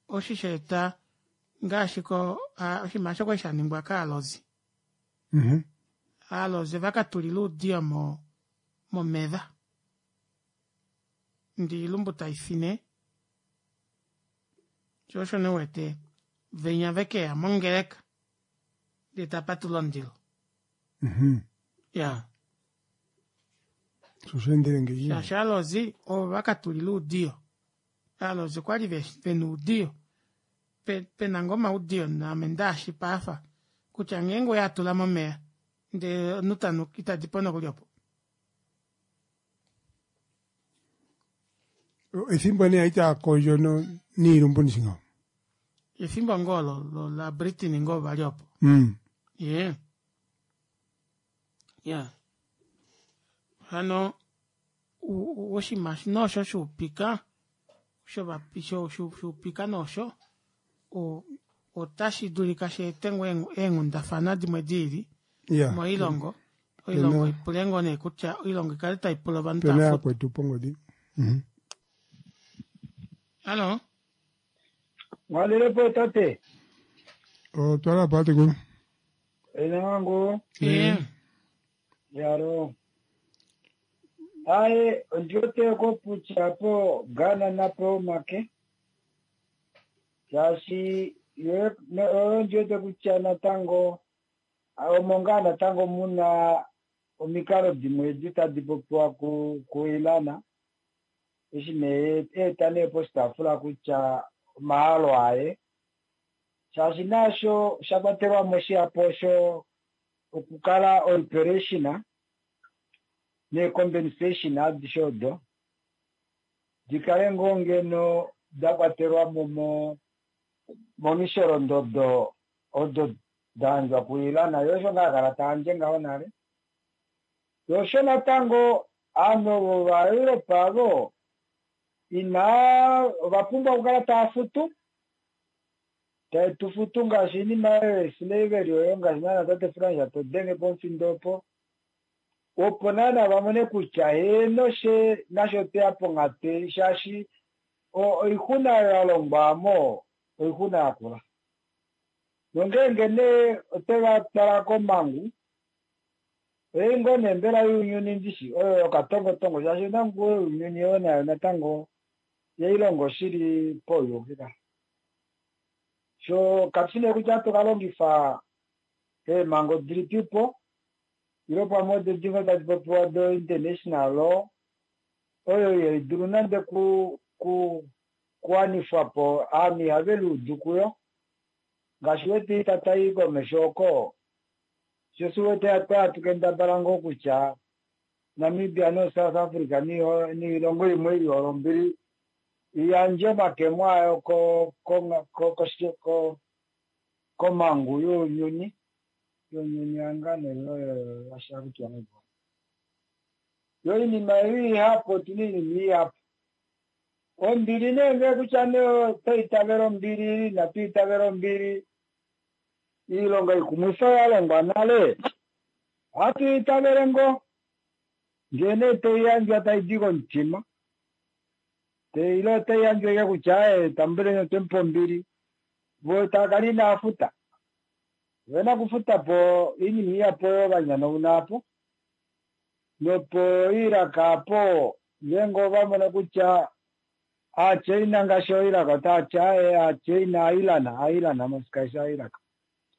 oshi shaeta ngaashi ko oshinima osho kwali shaningwa kaalozi aalozi ovakatulila oudiyo momeva ndee oilumbu taifine shoo osho nee uwete venya vekeya mongeleka ndee tapatulula omundilo iyaa Sho osheendele ngeyi. Shaashi aalozi ovo vakatulila oudiyo aalozi okwali vena oudiyo pena ngoo omaudiyo naame ndaashi paafa kutya ngeenge oweatula momeva ndee omunhu tanu itadipo nokuli opo. Ethimbo nee yali taakondjo niilumbu ndishi ngaho. Efimbo ngoo lo la Britain ngoo vali opo. Ye. Ya. Hano oshinima nosho shuupika shuupika nosho otashi dulika shi ete ngoo eenghundafana dimwe diili moilongo. Oilongo ipule ngoo nee kutya oilongo ikale tai pula ovanhu tava futu. Yakwetu pongodi. Hallo. Mwalelepo tate. Otwala po tatekulu. Enango. Yaro. Aye, ondiote ko kutya po Ghana napo make. Shaashi yo ondiote kutya natango omo ngaa natango muna omikalo dimwe edi tadi popiwa kuIran. Eshi nee eeta nee poshitaafula kutya omahalo aye. Shaashi naasho sha kwatelwa mo shihapu osho okukala oreparation neecompensation adishe odo dikale ngoo ngeno da kwatelwa mo momisholondodo odo da yandjwa kuIran. Yo osho ngaa kala ta yandje ngaho nale. Yo osho natango ovanhu ovo vaEurope avo ina ova pumbwa okukala tava futu tae tu futu ngaashi oinima oyo yeslavery oyo ngaashi naana tate Frans to denge pomufindo opo opo naana vamone kutya heeno she nasho teya ponghatu ei shaashi oixuna oyo ya longwa mo oixuna yakula. Nongeenge nee oteva twala komhangu oye ngoo nee mbela younyuni ndishi oyo yokatongotongo shaashi omhangu younyuni oyo nayo natango yailongo shili pauyuki ka. Sho katushi nee kutya ohatu ka longifa eemhango dilipipo ile pamwe odo dimwe tadi popiwa do international law oyo ihaidulu nande kuwanifwa po ovanhu ihave liudu kuyo ngaashi wete ita tai komesho oko sho si wete hatu kendabala ngoo kutya Namibia no South Africa niilongo imwe ili ombili iyandje omakemo ayo komhangu younyuni younyuni yangane oyo yashakutiwa ngoo yo oinima ei ihapu otuna oinima ihapu ombili nee ngee kutya nee otwaitavela ombili inatu itavela ombili iilonga ikumwifa ya longwa nale ohatu itavele ngoo ngee nee toiyandjwa taidi komutima ile otaiyandjwa ike kutya tambuleni otwemupa ombili vo taakala inaafuta ovena okufuta po oinima ihapu oyo vanyanauna apo nopo Iraq apo ngeenge ovamona kutya aChina ngaashi oIraq otaati aaye aChina aIran aIran mosikaisha aIraq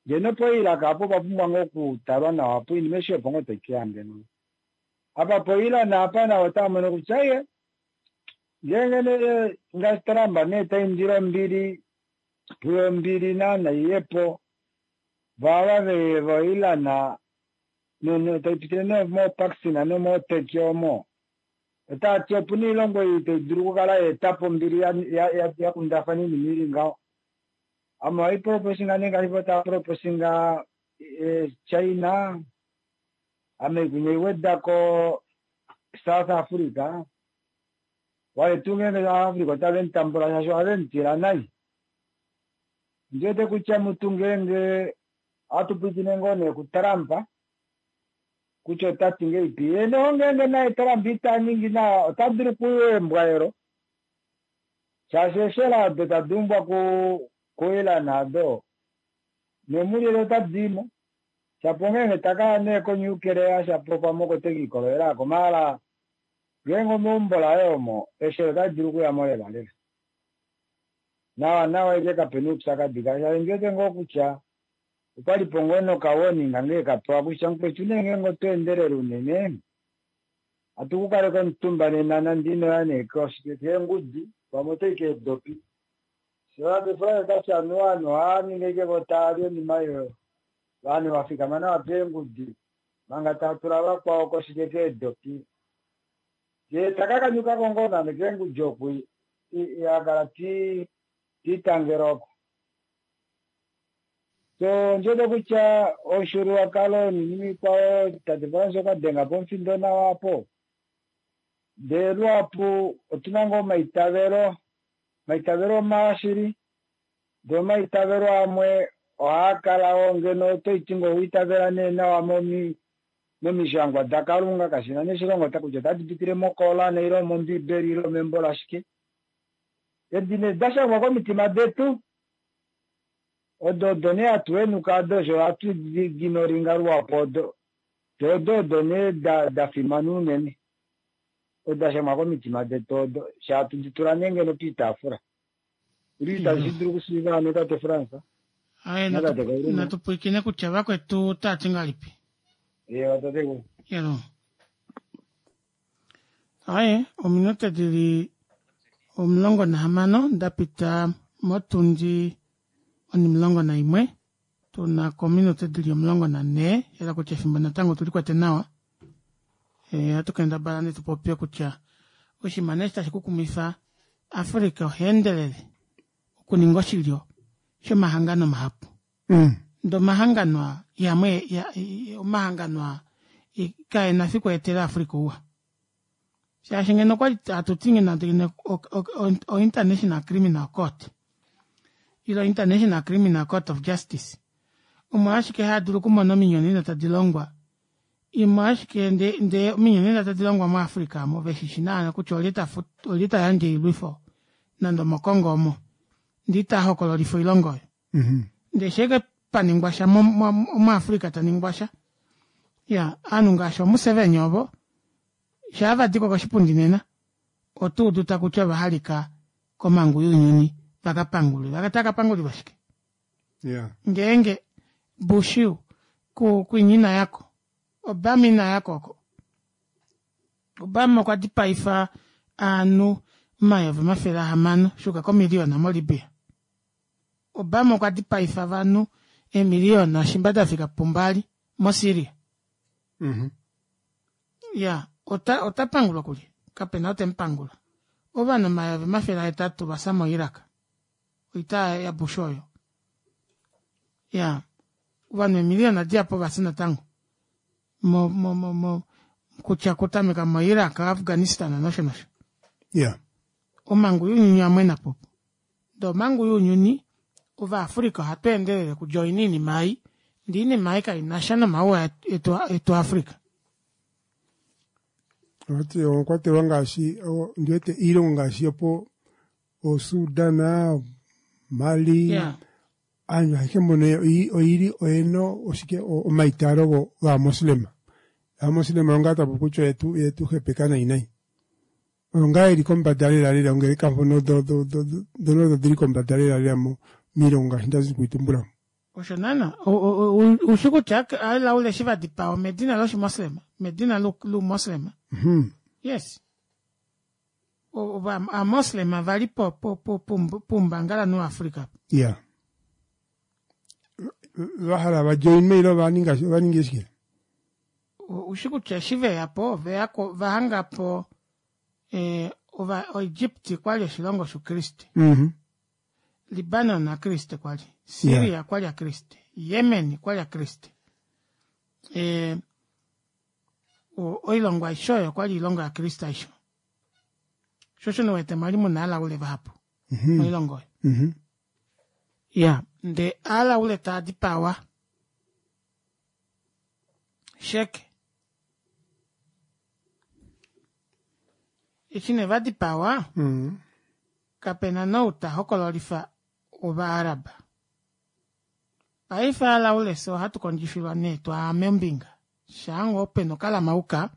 ngeno po Iraq apo opapumbwa ngoo okutalwa nawa opo oinima eshi opo ngoo taikeya ngeno apa po Iran apa navo otaamono kutya iye ngeenge nee ngaashi Trump nee taindile ombili puyo ombili naana iyepo vava voIran taipitile nee moPakistan nomoTurkey omo otaati opuna oilongo ei taidulu okukala yaetapo ombili yakundafana oinima ili ngaho ame ohaiproposinga nee ngaashi vo taaproposinga China ame kunya iwedako South Africa wale tuu ngeenge South Africa otave mutambula shaashi ohave mutila nai ndiwete kutya mutu ngeenge ohatu pwiikine ngoo nee kuTrump kutya otati ngeipi ye noho ngeenge naye Trump ita ningi nawa ota dulu okuembwaelo shaashi eeshela odo tadi umbwa kuIran ado nomulilo otadiimo shapo ngeenge takaya nee konuclear shapo pamwe oko tekiikololela ako maala ngeenge omeumbo laye omo eeshela otadi dulu okuyamo lela lela nawa nawa ike kapena oupyakadi shaashi ndiwete ngoo kutya okwalipo ngoo noka-warning ngee kapewa kutya mukwetu nee ngeenge oto endelele unene hatu ku kaleka omutumba nena nande inoya nee keengudi pamwe otoyi keedopi sho otati anuwa ovanhu ohaaningi ashike vo taali oinima oyo ovanhu vafikama nawa peengudi manga tava tula vakwao koshike keedopi yee takakanyukako ngoo nande keengudi oku akala tiitangela oko. So ndiwete kutya omushuluwakalo niinima iikwawo tate Frans okwa dhenga po omufindo nawa apo. Ndele luhapu otuna ngoo omaitavelo, omaitavelo omawa shili, ndele omaitavelo amwe ohaa kala wo ngeno oto iti ngoo owa itavela nee nawa momi momishangwa daKalunga kashina nee oshilongo kutya otadi pitile moKoran ile mOmbibeli ile membo lashike. Edi nee da shangwa komitima detu odo odo nee hatu henuka odo osho hatu ginoringa luhapu odo de odo odo nee da da fimana unene odo da shangwa komitima detu odo sha hatu di tula nee ngeno piitaafula ili itashi dulu okushiiva hano tate Frans Aye, natate Kauluma. natu pwiikine kutya vakwetu otava ti ngahelipi. Ewa tate Yelo. Aye, ominute dili 16 dapita motundi 11 tuna kominute dili 14 yela kutya efimbo natango tuli kwete nawa. E, ohatu kendabala nee tupopye kutya oshinima nee tashi kukumifa Africa oha endelele okuninga oshilyo shomahangano mahapu. Ndee omahangano aa yamwe omahangano aa kaena fiku etele Africa ouwa. Shaashi ngeno okwali hatu ti ngeno ngeno o International Criminal Court ile International Criminal Court of Justice omo ashike haadulu okumona ominyonena tadi longwa imwe ashike ndee ndee ominyonena tadi longwa muAfrica omo veshishi naana kutya olye ta olye ta yandje oilwifo nande omoKongo omo ndee ita hokololifa oilonga oyo. Ndee sheke paningwa sha muAfrica taningwa sha ya ovanhu ngaashi oMuseveni ovo shaa vadiko koshipundi nena otuudu takutya ova halika komangu younyuni vakapangulwe vakataka pangulilwa shike ngeenge Bush kwinya ina yako Obama ina yako oko Obama okwa dipaifa ovanhu 600 000 shuuka komiliyona moLibya. Obama okwa dipaifa ovanhu eemiliyona shimba dafika pumbali moSyria. Ya ota ota pangulwa kulye? Kapena ou temupangula. Ovanhu 800 000 vafya moIraq. Oita yaBush oyo. Ya ovanhu eemiliyona dihapu ovafya natango mo mo mo mo kutya kutameka moIraq, Afghanistan nosho nosho. Omhangu younyuni oyamwena po. Ndee omhangu younyuni Ovaafrica ohatu endelele okujoina oinima ei ndee oinima ei kainasha nomauwa etu etu Africa. Oti omwa kwatelwa ngaashi ndiwete iilongo ngaashi yopo oSudan, Mali, aantu ayehe mbono oyili oyena oshike omaitaalo gaamoslema. Aamoslema onga tapu kutya oyetu oyetu hepeka nayi nayi. Oyo ngaa yeli kombanda lela lela ongeleka mpono dhono odho dhili kombanda lela lela miilongo ngaashi ndazi okuyi tumbula. Osho naana ushi kutya alaule eshi vadipawa omedina loshimoslema medina loumoslema yes aamoslema vali poumbangalanhu waAfrica. Ya vahala vajoinwe ile ovaninga ovaninga shike? Ushi kutya eshi veya po oveyako vahangapo ova oEgypt kwali oshilongo shoukriste. Libanon akriste kwali, Syria kwali akriste, Yemen kwali akriste. Oilongo aishe oyo okwali oilongo yakriste aishe. Sho osho wete mwali muna alaule vahapu moilongo oyo. Ya, ndee alaule taa dipawa sheke. Eshi nee vadipawa, kapena nou ta hokololifa Ovaarab. Paife alaule fye ohatu kondjifilwa nee twaame ombinga shaa ngoo pena okalamauka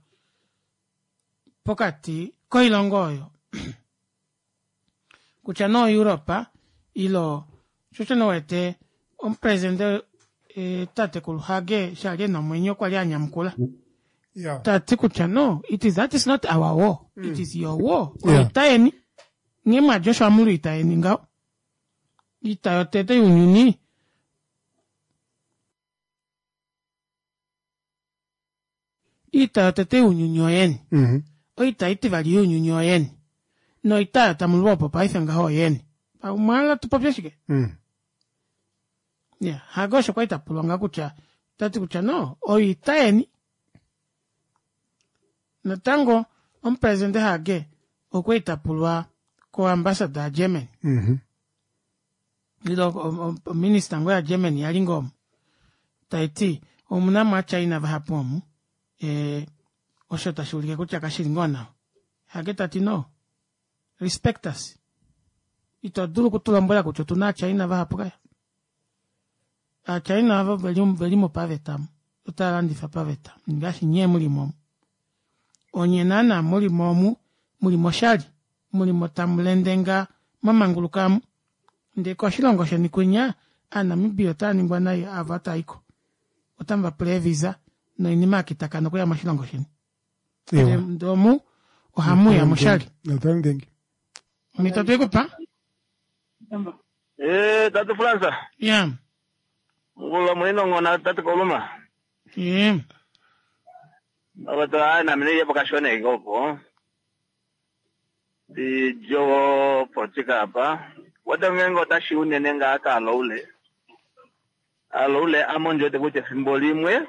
pokati koilongo oyo kutya nee oEurope ile sho osho nee uwete omupresidente tatekulu Hage eshi ali ena omwenyo okwa li anyamukula tati kutya no it is that is not our war it is your war oita yeni nghee mwadja osho amulwa oita yeni ngaho oita yotete younyuni Oita yotete younyuni oyeni. Oita itivali younyuni oyeni. Noita oyo tamu lwa opo paife ngaho oyeni. Omwa hala tu popye shike? Ya, Hage osho kwali ta pulwa nga kutya tati kutya no oita yeni natango omupresidente Hage okwali ta pulwa koambasada yaGermany ile ominista ngoo yaGermany yali ngoo omu tai ti omuna mo aaChina vahapu omu eh, osho tashi ulike kutya kashi li ngoo nawa. Hage ta ti no respect us ito dulu okutulombwela kutya otuna aaChina vahapu kaya aaChina avo veli mo paveta otava landifa paveta ngaashi nyee muli mo onye naana muli mo omu muli moshali muli mo tamu lendenga mwamanguluka amu ndee koshilongo sheni kwinya aaNamibia otava ningwa nai ava taaiko otamu va pula eevisa noinima yakitakana okuya moshilongo sheni ndee omu ohamuya moshali omhito twekupa Eh, Tatu Fransa. Yeah. Ngula mwino ngona tatu koluma. Yeah. Abato ai na mine yepo kashone gopo. Di jowo politika apa. Wata ngengo tashi unene nga aka aloule. Aloule amonjo te kutya efimbo limwe.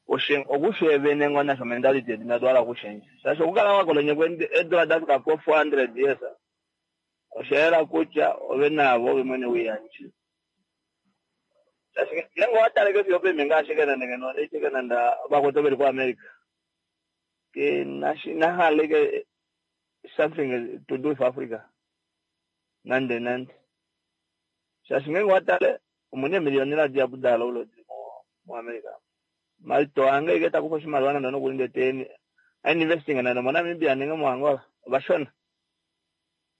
Oshe okushevene ngona sho mentality yetu inadwala okushenja. Shasho okukala wakolonye kwende edola dafika po 400 years. Osha yela kutya ove navo ove mwene wiyandje. Shaashi ngeenge owa taleke fiyo opeme ngaashi kenande ngeno eke kenanda ovakwetu veli kuAmerica. Ke nahala ike something to do with Africa. Nande nande. Shaashi ngeenge owa tale omuna eemiliyonela dihapu daalaula dili muAmerica. Malito ange ike takufa oshimaliwa nande nokuli ndee te investing nande moNamibia nenge moAngola ovashona.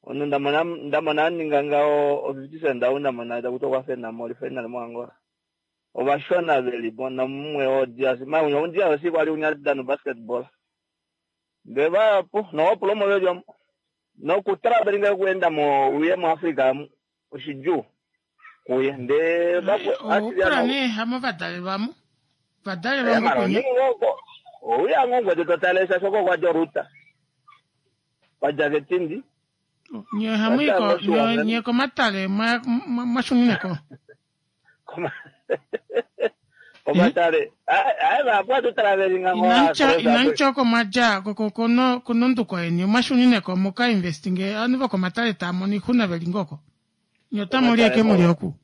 Omunhu ndamona ndamona aninga ngaho o 50 cent ou ndamona takuti okwa fena mo final moAngola. Ovashona velipo namumwe oo DRC. Maunya o DRC kwali unya dano basketball. Ndee vahapu nowapula omo veli omo. Nokutravelinga okuenda mo uye muAfrica amu oshidjuu kuye ndee Oupula nee hamo vadalelwamo vadalelwa mo kwinya. Ouya ngoo ngwete totale shaashi oko kwadja oruta. Kwadja ketindi. Nye ohamu yi ko nye, nye komatale mwa mwa shunine ko. Komatale. Aye vahapu hatu travelinga ngoo Inamutya inamutya oko mwa dja ko ko kononduko yeni omwa shunine ko muka investinge ovanhu vokomatale tava mono oixuna veli ngoo oko. Nye otamu li eke muli oku.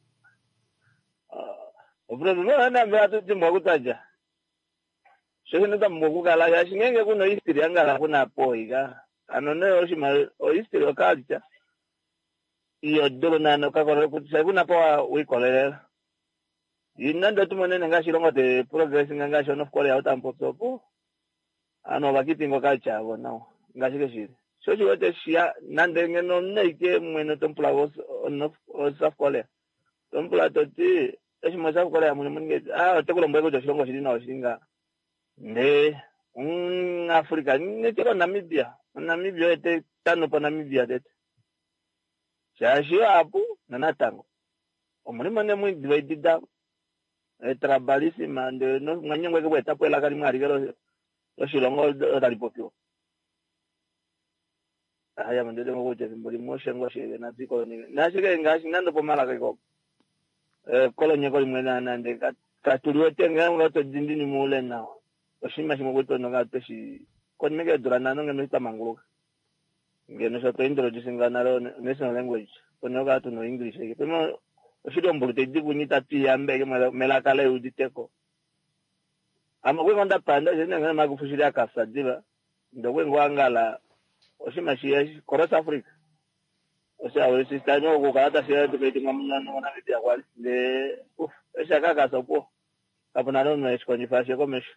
Opresident nambe hatu dimbwa kutadja. Sho shino twa pumbwa okukala shaashi ngeenge kuna ohistory angala kuna poika. Ano nee oshimaliwa ohistory oculture iyo dulu naana okakolele kutya kuna po wikolelela. Nande otumonene ngaashi ilongo te progressing ngaashi North Korea otamupopi opo. Ano ovakeepinga oculture yavo nawa ngaashi keshili. Sho shiwete shiya nande ngeno omunhu aike mwene tomupula South Korea. Tomupula toti eshi mo South Korea muni muninge ah ote kulombwele kutya oshilongo oshili nawa oshili ngaha. Ndee Africa nete Namibia. Namibia oye te tano po Namibia tete. Shaashi apu nanatango. Omulimo ne mwi divided tribalism ndee mwanyengwa eke kuetapo elaka limwe alike loshilongo tali popiwa. Haya mandete ngokutya efimbo limwe oshengo shele natwikolonike. Nashike ngaashi nande pomalaka iko. Kolonyeko limwe nande katuliwete ngeenge oto dindini muule nawa. Oshinima shimwe kuti tweshi konima eke eedula nhano ngeno twa manguluka. Ngeno sho twa introducinga nale national language. Konima okukala tuna English eke. Pema oshili ombulu taidi kunye itatu iyambe eke melaka leuditeko. Ame okwe ngoo ndapanda shee Magufuli shili akafya diva. Ndee okwe ngoo angala oshinima shiya Cross Africa. Osha okukala tashi educating moNamibia kwali. Ndee eshi akakasa opuwo. Kapuna omunhu eshikondjifa ashiye komesho.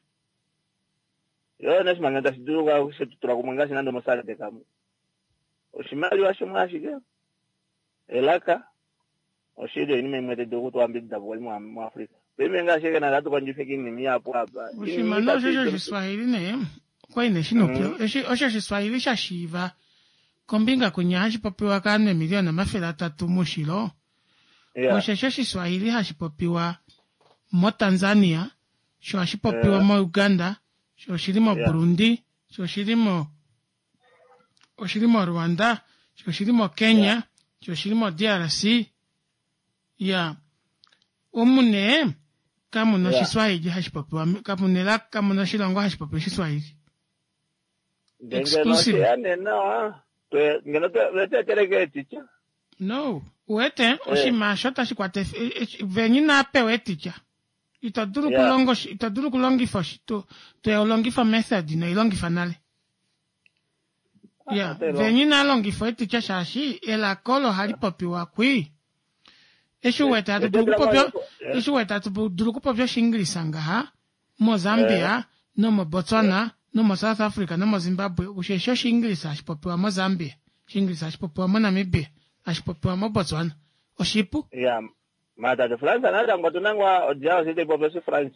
Yo neshimanga tashi dulu shetutula kumwe ngaashi nande moSADC amu. Oshimaliwa shimwe ashike. Elaka oshili oinima imwe tayi dulu okutuambidida kwali muAfrica. Paife ngaashi ke nande hatu kondjifa oinima ihapu apa. Oshimaliwa osho shOshiswahili nee okwali nee shina upyu. Osho Oshiswahili sha shiiva kombinga kwinya hashi popiwa kovanhu eemiliyona 300 moushilo. Osho Oshiswahili hashi popiwa moTanzania, sho hashi popiwa moUganda, sho oshili moBurundi, sho oshili mo oshili moRwanda, sho oshili moKenya, sho oshili moDRC. Ya. Omu nee kamu na Oshiswahili hashi popiwa, kamu na elaka, kamu na oshilongo hashi popi Oshiswahili. Ndee ngeno osheya nee nawa, twe- ngeno twe- twe tweeteleke eetitya. No, uwete oshinima osho tashi kwata ef- e- e- veni inaa pewa eetitya. Ito dulu okulonga oshi- ito dulu okulongifa oshi- to to longifa method ino i longifa nale. Ya, otai longo. veni inaa longifa eetitya shaashi elaka olo ohali popiwa kwii. Eshi uwete hatu dulu okupopya eshi uwete hatu dulu okupopya Oshiingilisa ngaha moZambia nomoBotswana nomoSouth Africa nomoZimbabwe osheshi Oshiingilisa hashi popiwa moZambia, Oshiingilisa hashi popiwa moNamibia, hashi popiwa moBotswana. Oshipu. Ya, maar tate Frans natango otu na ngoo odja oshi tai popi Oshifrance.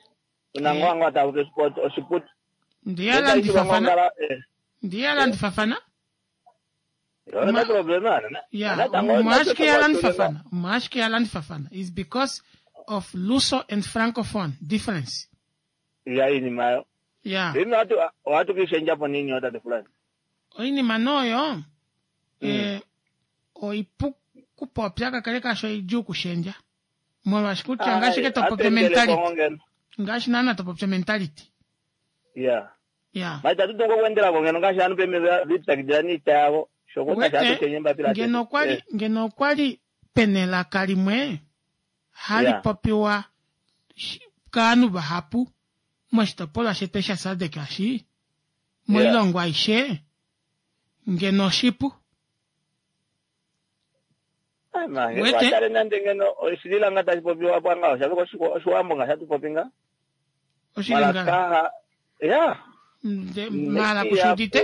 Tu na ngoo ngoo tava popi Oshipoto, Oshiputu. Ndi ya landifafana. Ndi ya landifafana. Yona problema na. Ya, Natango omo ashike ya landifafana. Omo ashike ya landifafana is because of Luso and Francophone difference. Ya iinima yo. Ya. Ino hatu ohatu kishendja po nini tate Frans. Oinima noyo eh, oipu kupopya kakele kasho oidjuu okushendja. Molwaashi kutya ngaashi ke to popya mentality. Ngaashi naana to popya mentality. Ya. Ya. Ma itatu dulu okuendela ko ngeno ngaashi ovanhu peme vipyakidila niita yavo. Shoko tashi Wete, hatu shenye mbapila ngeno okwa li ngeno okwa li pena elaka limwe hali popiwa kaanhu vahapu moshitopolwa shetu sha SADC eshi, moilongo aishe, ngeno oshipu. Wete? Watale nande ngeno oshililanga tashi popiwa apa ngaho sha oshiwambo nga shatu popi nga. Oshilingala. Malaka ya. Nde mala kushudite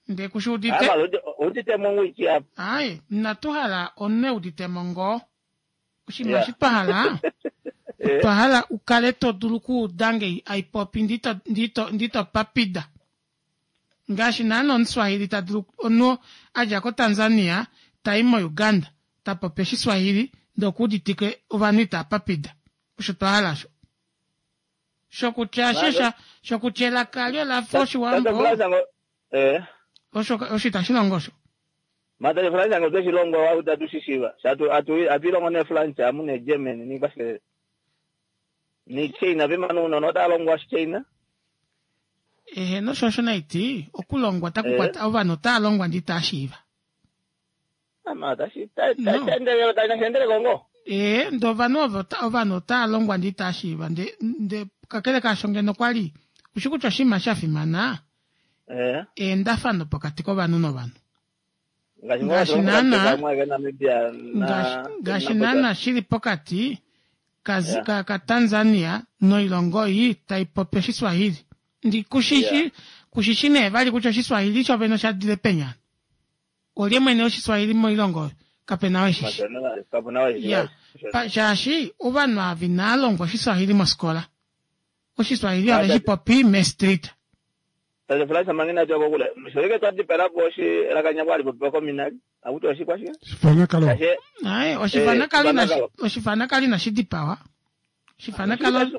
nde kushudite. Udite mo ngwiki apa. Ai, natu hala omunhu eudite mo ngoo. Oshinima eshi twa hala otwa hala u kale to dulu okuuda nge aipopi ndito ndito ndito papida. Ngaashi naana Omuswahili ta dulu omunhu a dja koTanzania ta i moUganda ta popi Oshiswahili ndee okuuditike ovanhu itaa papida. Osho twa hala osho. Shokutya eshi shokutya elaka alyo ola fa Oshiwambo osho osho itashi longo osho. Mata French ngo tweshi longo wa utatu shishiva. Shatu atu atu longo ne French amu ne German ni kwashike. Ni China vema no no ta longwa China. Eheno osho osho naiti okulongwa taku kwata ovanhu otaa longwa ndee itaa shiiva. Ama tashi ta ta ta ta ta kongo. Ee, ndee ovanhu ovo ovanhu otaa longwa ndee itaa shiiva ndee ndee kakele kaasho ngeno kwa li ushi kutya oshinima sha fimana eendafano pokati kovanhu novanhu. Ngaashi naana ngaashi naana shili pokati ka ka Tanzania noilongo ei tai popi Oshiswahili. Ndi kushishi kushishi nee vali kutya Oshiswahili sho vene osha dile peni hano. Olye mwene wOshiswahili moilongo oyo? Kape na oo eshi shi. Ya, shaashi ovanhu ava inaa longwa Oshiswahili mosikola. Oshiswahili ove shi popi meestrita. Tate Frans manga inatu ya kokule, sholike twa dipela po oshi elaka nyako hali popiwa kominali, akuti oshikwashike? Oshifanakalo. Aye, oshifanakalo inashi oshifanakalo inashi dipawa. Oshifanakalo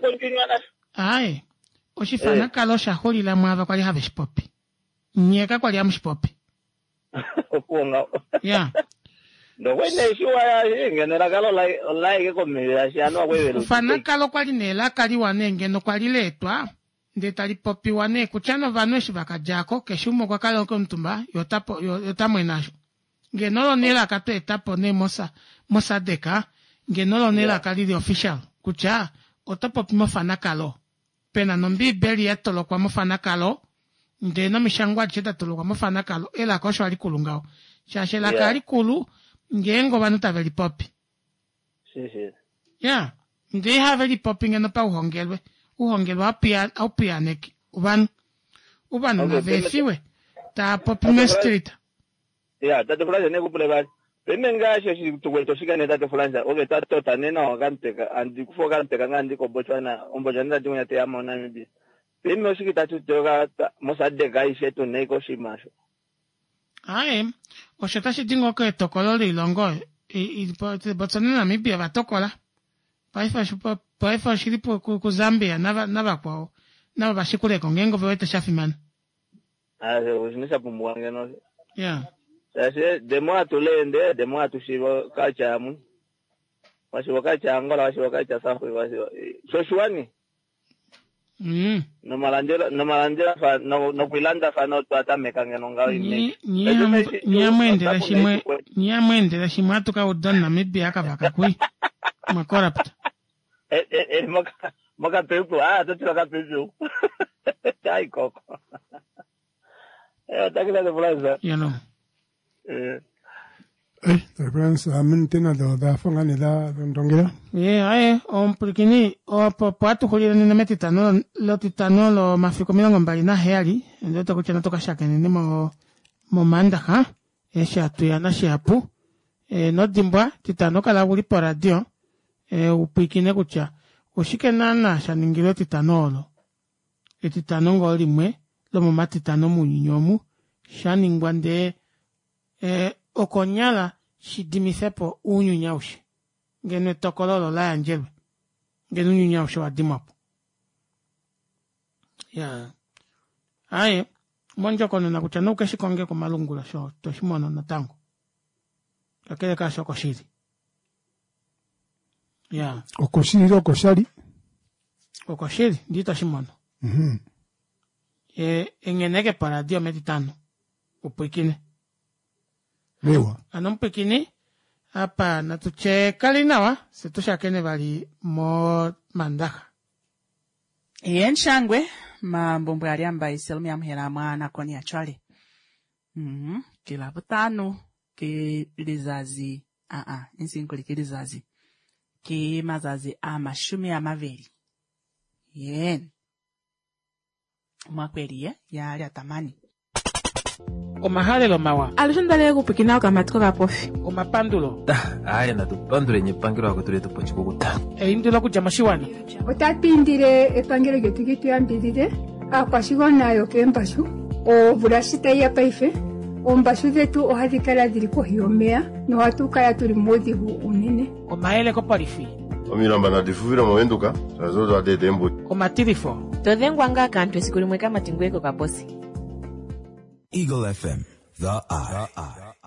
Aye, oshifanakalo osha xulila mwaava kwali have shi popi. Nye ka kwali hamu shi popi. Opuwo ngaho. Ya. Ndokwe nee shiwa ya ngeno elaka olaeke komesho shaashi anu akwevela. Ofanakalo kwali nee elaka liwa nee ngeno kwali leetwa ndee tali popiwa nee kutya novanhu eshi vaka djako keshe umwe okwa kala omutumba ye ota po ye ota mwena asho. Ngeno olo nee elaka twa etapo nee mosa moSADC ngeno olo nee elaka lili official kutya oto popi mofanakalo. Pena nombiibeli ya tolokwa mofanakalo ndee nomishangwa adishe da tolokwa mofanakalo elaka osho alikulu ngaho shaashi elaka yeah. alikulu ngeenge ovanhu tave lipopi ya ndee ihave lipopi ngeno pauhongelwe uhongelwe aupiyaneke ovanhu ovanhu okay, nava efiwe taa popi mestreet Ya, tate Frans ne kupule vali. Peme ngaashi oshitukulwa oshika ne tate Frans, oke twa tota nena okamuteka, andi kufa okamuteka nga ndi koBotswana, oMbotswana tati unya teya moNamibia. Peme oshike tatu toka moSADC aishe tu nei koshinima osho. Aye, osho otashi di ngoo ketokolo loilongo Botswana naNamibia va tokola. Paife paife oshili kuZambia navakwao navo va shikuleko ngeenge ove wete sha fimana. Oshina sha pumbiwa ngeno. Shaashi the more hatu learn, the more hatu shiiva culture yamwe. Washiwa kacha Angola, washiwa kacha South Africa, washiwa. Shoshiwani. Nomalandelo nomalandelathano nokwilandathana otwa tameka ngeno ngaho Nyamweendela shimwe nyamweendela shimwe atuka uda Namibia akavaka kui mwa corrupt. Mokapepu ah totila kapepu ai koko eh takila de plaza you know eh Reference tena dho nga nee dha ndongela. Ye aye omupulikini opo opo atuxulile nena metitano lotitano lomafiku 27 ndiwete kutya natu kashakeneni mo momaandaxa eshi hatuya nashihapu e, nodimbwa titano kala uli poradio e, upwiikine kutya oshike naana sha ningilwe etitano olo etitano ngoo limwe lomomatitano mounyuni omu sha ningwa ndee e, okonyala shidimithepo uunyuni aushe ngeno etokolo olo la yandjelwe ngeno uunyuni aushe wa dimwapo ya aye mondjokonona kutya noukeshi konge komalungula sho toshimono natango kakele kaasho okoshili ya Okoshili okoshali. Okoshili ndi toshimono e, engeneke poradio metitano upwikine Mewa. Ano mupwikini apa natu tye kali nawa se tushakene vali momandaxa Yen shangwe mambombwe aliamba iselmu ya mhela mwa nakoni ya cwale. Ki Labutano ki lizazi aa insinkuli ki lizazi ki mazazi a 20. Yen. Mwa kweli ye ya lyatamani. Omahalelo mawa. Alushe ndalele kupwikina okamati kokapofi. Omapandulo. Aye natupandule epangelo akwetu letu pochikukuta. Eindilo okudja moshiwana. Otatu indile epangelo lyetu li tu yambidhidhe aakwashigwana yokeembashu omvula shi tayi ya paife oombashu dhetu ohadhi kala dhili kohi yomeya nohatu kala tuli muudhigu uunene. Omayele kopolifi. Omilamba nadi fufile movenduka shazo odho eta eembudi. Omatilifo. To dhengwa ngaa kaantu esiku limwe kamati ngweye kokaposi. Eagle FM, the eye.